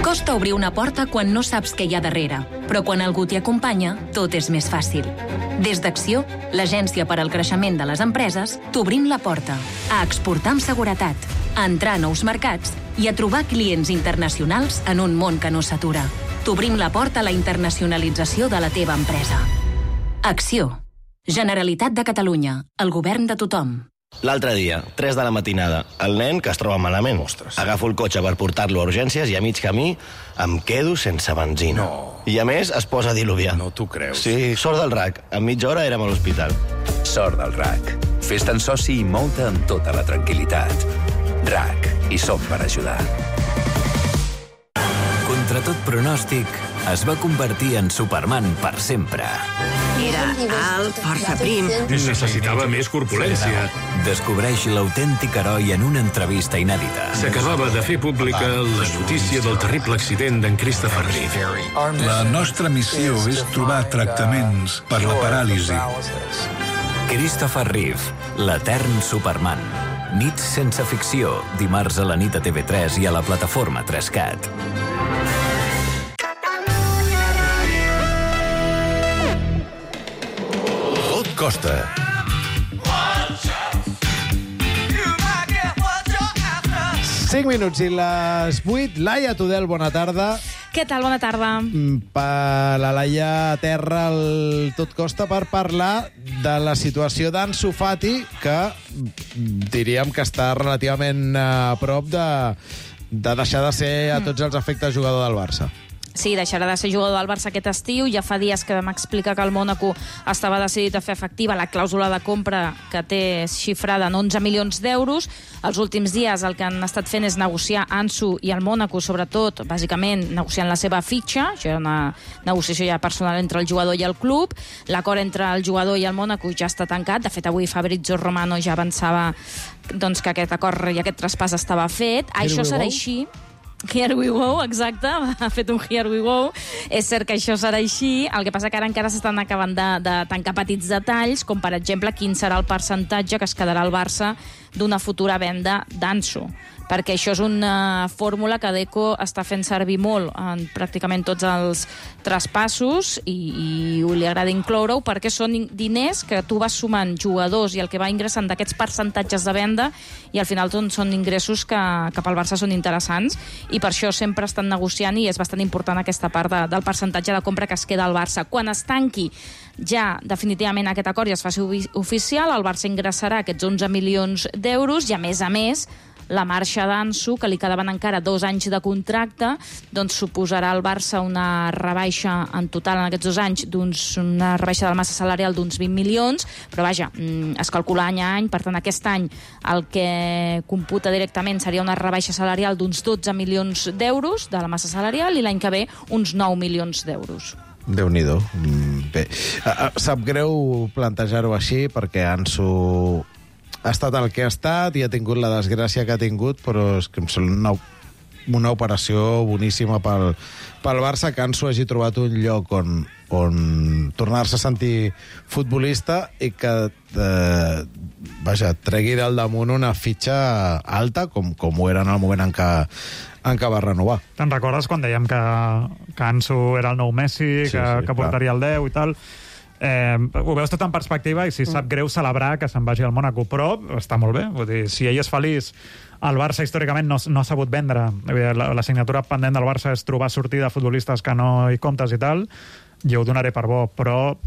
Costa obrir una porta quan no saps què hi ha darrere, però quan algú t'hi acompanya, tot és més fàcil. Des d'Acció, l'agència per al creixement de les empreses, t'obrim la porta a exportar amb seguretat, a entrar a nous mercats i a trobar clients internacionals en un món que no s'atura. t'obrim la porta a la internacionalització de la teva empresa. Acció. Generalitat de Catalunya. El govern de tothom. L'altre dia, 3 de la matinada, el nen que es troba malament. Ostres. Agafo el cotxe per portar-lo a urgències i a mig camí em quedo sense benzina. No. I a més es posa a diluviar. No t'ho creus. Sí, sort del RAC. En mitja hora érem a l'hospital. Sort del RAC. Fes-te'n soci i mou-te amb tota la tranquil·litat. RAC. Hi som per ajudar. Contra tot pronòstic, es va convertir en Superman per sempre. Era alt, força prim. Necessitava més corpulència. Descobreix l'autèntic heroi en una entrevista inèdita. S'acabava de fer pública la notícia del terrible accident d'en Christopher Reeve. La nostra missió és trobar tractaments per la paràlisi. Christopher Reeve, l'etern Superman. Nits sense ficció, dimarts a la nit a TV3 i a la plataforma 3CAT. Tot costa. Cinc minuts i les 8. Laia Tudel, bona tarda. Què tal? Bona tarda. Per la Laia a terra el Tot Costa per parlar de la situació d'Ansu Fati, que diríem que està relativament a prop de deixar de ser a tots els efectes jugador del Barça. Sí, deixarà de ser jugador del Barça aquest estiu. Ja fa dies que vam explicar que el Mònaco estava decidit a fer efectiva la clàusula de compra que té xifrada en 11 milions d'euros. Els últims dies el que han estat fent és negociar Ansu i el Mònaco, sobretot, bàsicament, negociant la seva fitxa. Això era una negociació ja personal entre el jugador i el club. L'acord entre el jugador i el Mònaco ja està tancat. De fet, avui Fabrizio Romano ja avançava doncs, que aquest acord i aquest traspàs estava fet. Això serà així. Here we go, exacte, ha fet un here we go. És cert que això serà així, el que passa que ara encara s'estan acabant de tancar petits detalls, com per exemple quin serà el percentatge que es quedarà al Barça d'una futura venda d'Ansu, perquè això és una fórmula que Deco està fent servir molt en pràcticament tots els traspassos i li agrada incloure-ho perquè són diners que tu vas sumant jugadors i el que va ingressant d'aquests percentatges de venda i al final són ingressos que pel Barça són interessants i per això sempre estan negociant i és bastant important aquesta part del percentatge de compra que es queda al Barça. Quan es tanqui ja definitivament aquest acord i es faci oficial, el Barça ingressarà aquests 11 milions d'euros i a més la marxa d'Ansu, que li quedaven encara 2 anys de contracte, doncs suposarà al Barça una rebaixa en total en aquests 2 anys, una rebaixa de la massa salarial d'uns 20 milions, però vaja, es calcula any a any, per tant aquest any el que computa directament seria una rebaixa salarial d'uns 12 milions d'euros de la massa salarial i l'any que ve uns 9 milions d'euros. Déu-n'hi-do. Bé, sap greu plantejar-ho així perquè Ansu ha estat el que ha estat i ha tingut la desgràcia que ha tingut, però és que em sembla una operació boníssima pel Barça, que Ansu hagi trobat un lloc on tornar-se a sentir futbolista i que tregui del damunt una fitxa alta, com ho era en el moment en què va renovar. Te'n recordes quan dèiem que Ansu era el nou Messi, que portaria el 10 i tal? Ho veus tot en perspectiva i si sap greu celebrar que se'n vagi al Mònaco, però està molt bé. Vull dir, si ell és feliç, el Barça històricament no ha sabut vendre. La signatura pendent del Barça és trobar sortida a futbolistes que no hi comptes i tal, jo ho donaré per bo, però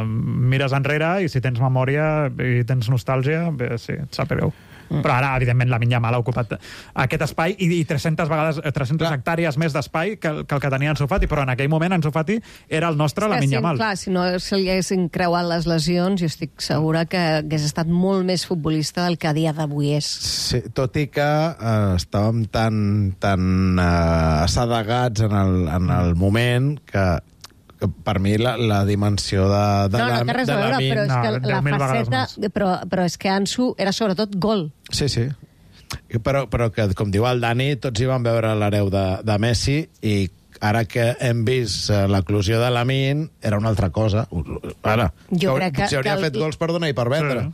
mires enrere i si tens memòria i tens nostàlgia, bé, sí, et sap greu. Però ara, evidentment, Lamine Yamal ha ocupat aquest espai i 300 hectàrees més d'espai que el que tenia Ansu Fati, però en aquell moment Ansu Fati era el nostre Lamine Yamal. Clar, si no se li haguessin creuat les lesions, jo estic segura que hagués estat molt més futbolista del que a dia d'avui és. Sí, tot i que estàvem tan assedegats en el moment que per mi la dimensió de no té res a veure, però és que la faceta... Però és que Ansu era sobretot gol. Sí. Però que, com diu el Dani, tots hi van veure l'hereu de Messi i ara que hem vist l'eclusió de Lamine, era una altra cosa. Ara, jo crec que hauria fet gols per donar i per vendre.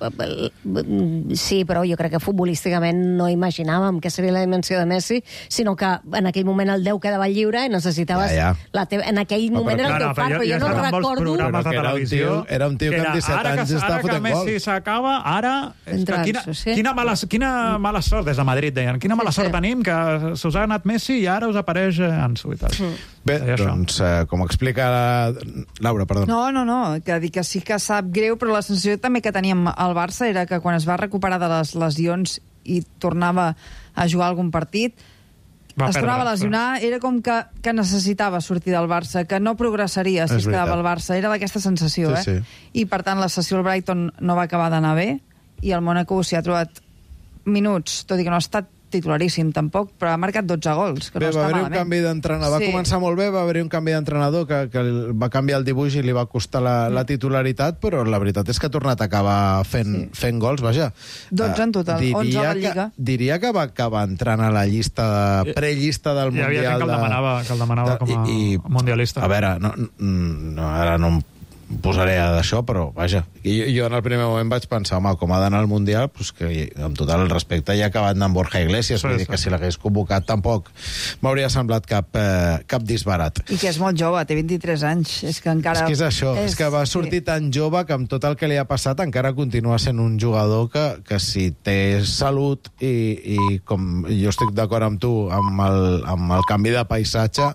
Sí, però jo crec que futbolísticament no imaginàvem que seria la dimensió de Messi, sinó que en aquell moment el 10 quedava lliure i necessitaves... En aquell moment era el teu far, però jo no recordo... Era un tio que amb 17 anys estava fotent gols. Ara que Messi s'acaba, ara... Quina mala sort des de Madrid, deien. Quina mala sort tenim que s'us ha anat Messi i ara us apareix Ansu i tal. Bé, doncs, com explica Laura, perdó. No, que dic que sí que sap greu, però la sensació també que teníem al Barça era que quan es va recuperar de les lesions i tornava a jugar algun partit, es tornava a lesionar, era com que necessitava sortir del Barça, que no progressaria si es quedava al Barça. Era d'aquesta sensació, Sí. I, per tant, la sessió al Brighton no va acabar d'anar bé, i el Mónaco s'hi ha trobat minuts, tot i que no ha estat titularíssim tampoc, però ha marcat 12 gols, que no està malament. Va canvi d'entrenador. Va començar molt bé, va haver-hi un canvi d'entrenador que va canviar el dibuix i li va costar la titularitat, però la veritat és que ha tornat a acabar fent gols, vaja. 12 en total, 11 a la Lliga. Diria que va acabar entrant a la llista, prellista del Mundial. Hi havia gent que el demanava com a mundialista. A veure, ara no em posaré d'això, però vaja, jo en el primer moment vaig pensar, home, com ha d'anar al Mundial, pues que amb tot el respecte ja ha acabat anant Borja Iglesias, vull dir que si l'hagués convocat tampoc m'hauria semblat cap disbarat. I que és molt jove, té 23 anys, és que encara... És que és això, és que va sortir tan jove que amb tot el que li ha passat encara continua sent un jugador que si té salut i com jo estic d'acord amb tu, amb el canvi de paisatge,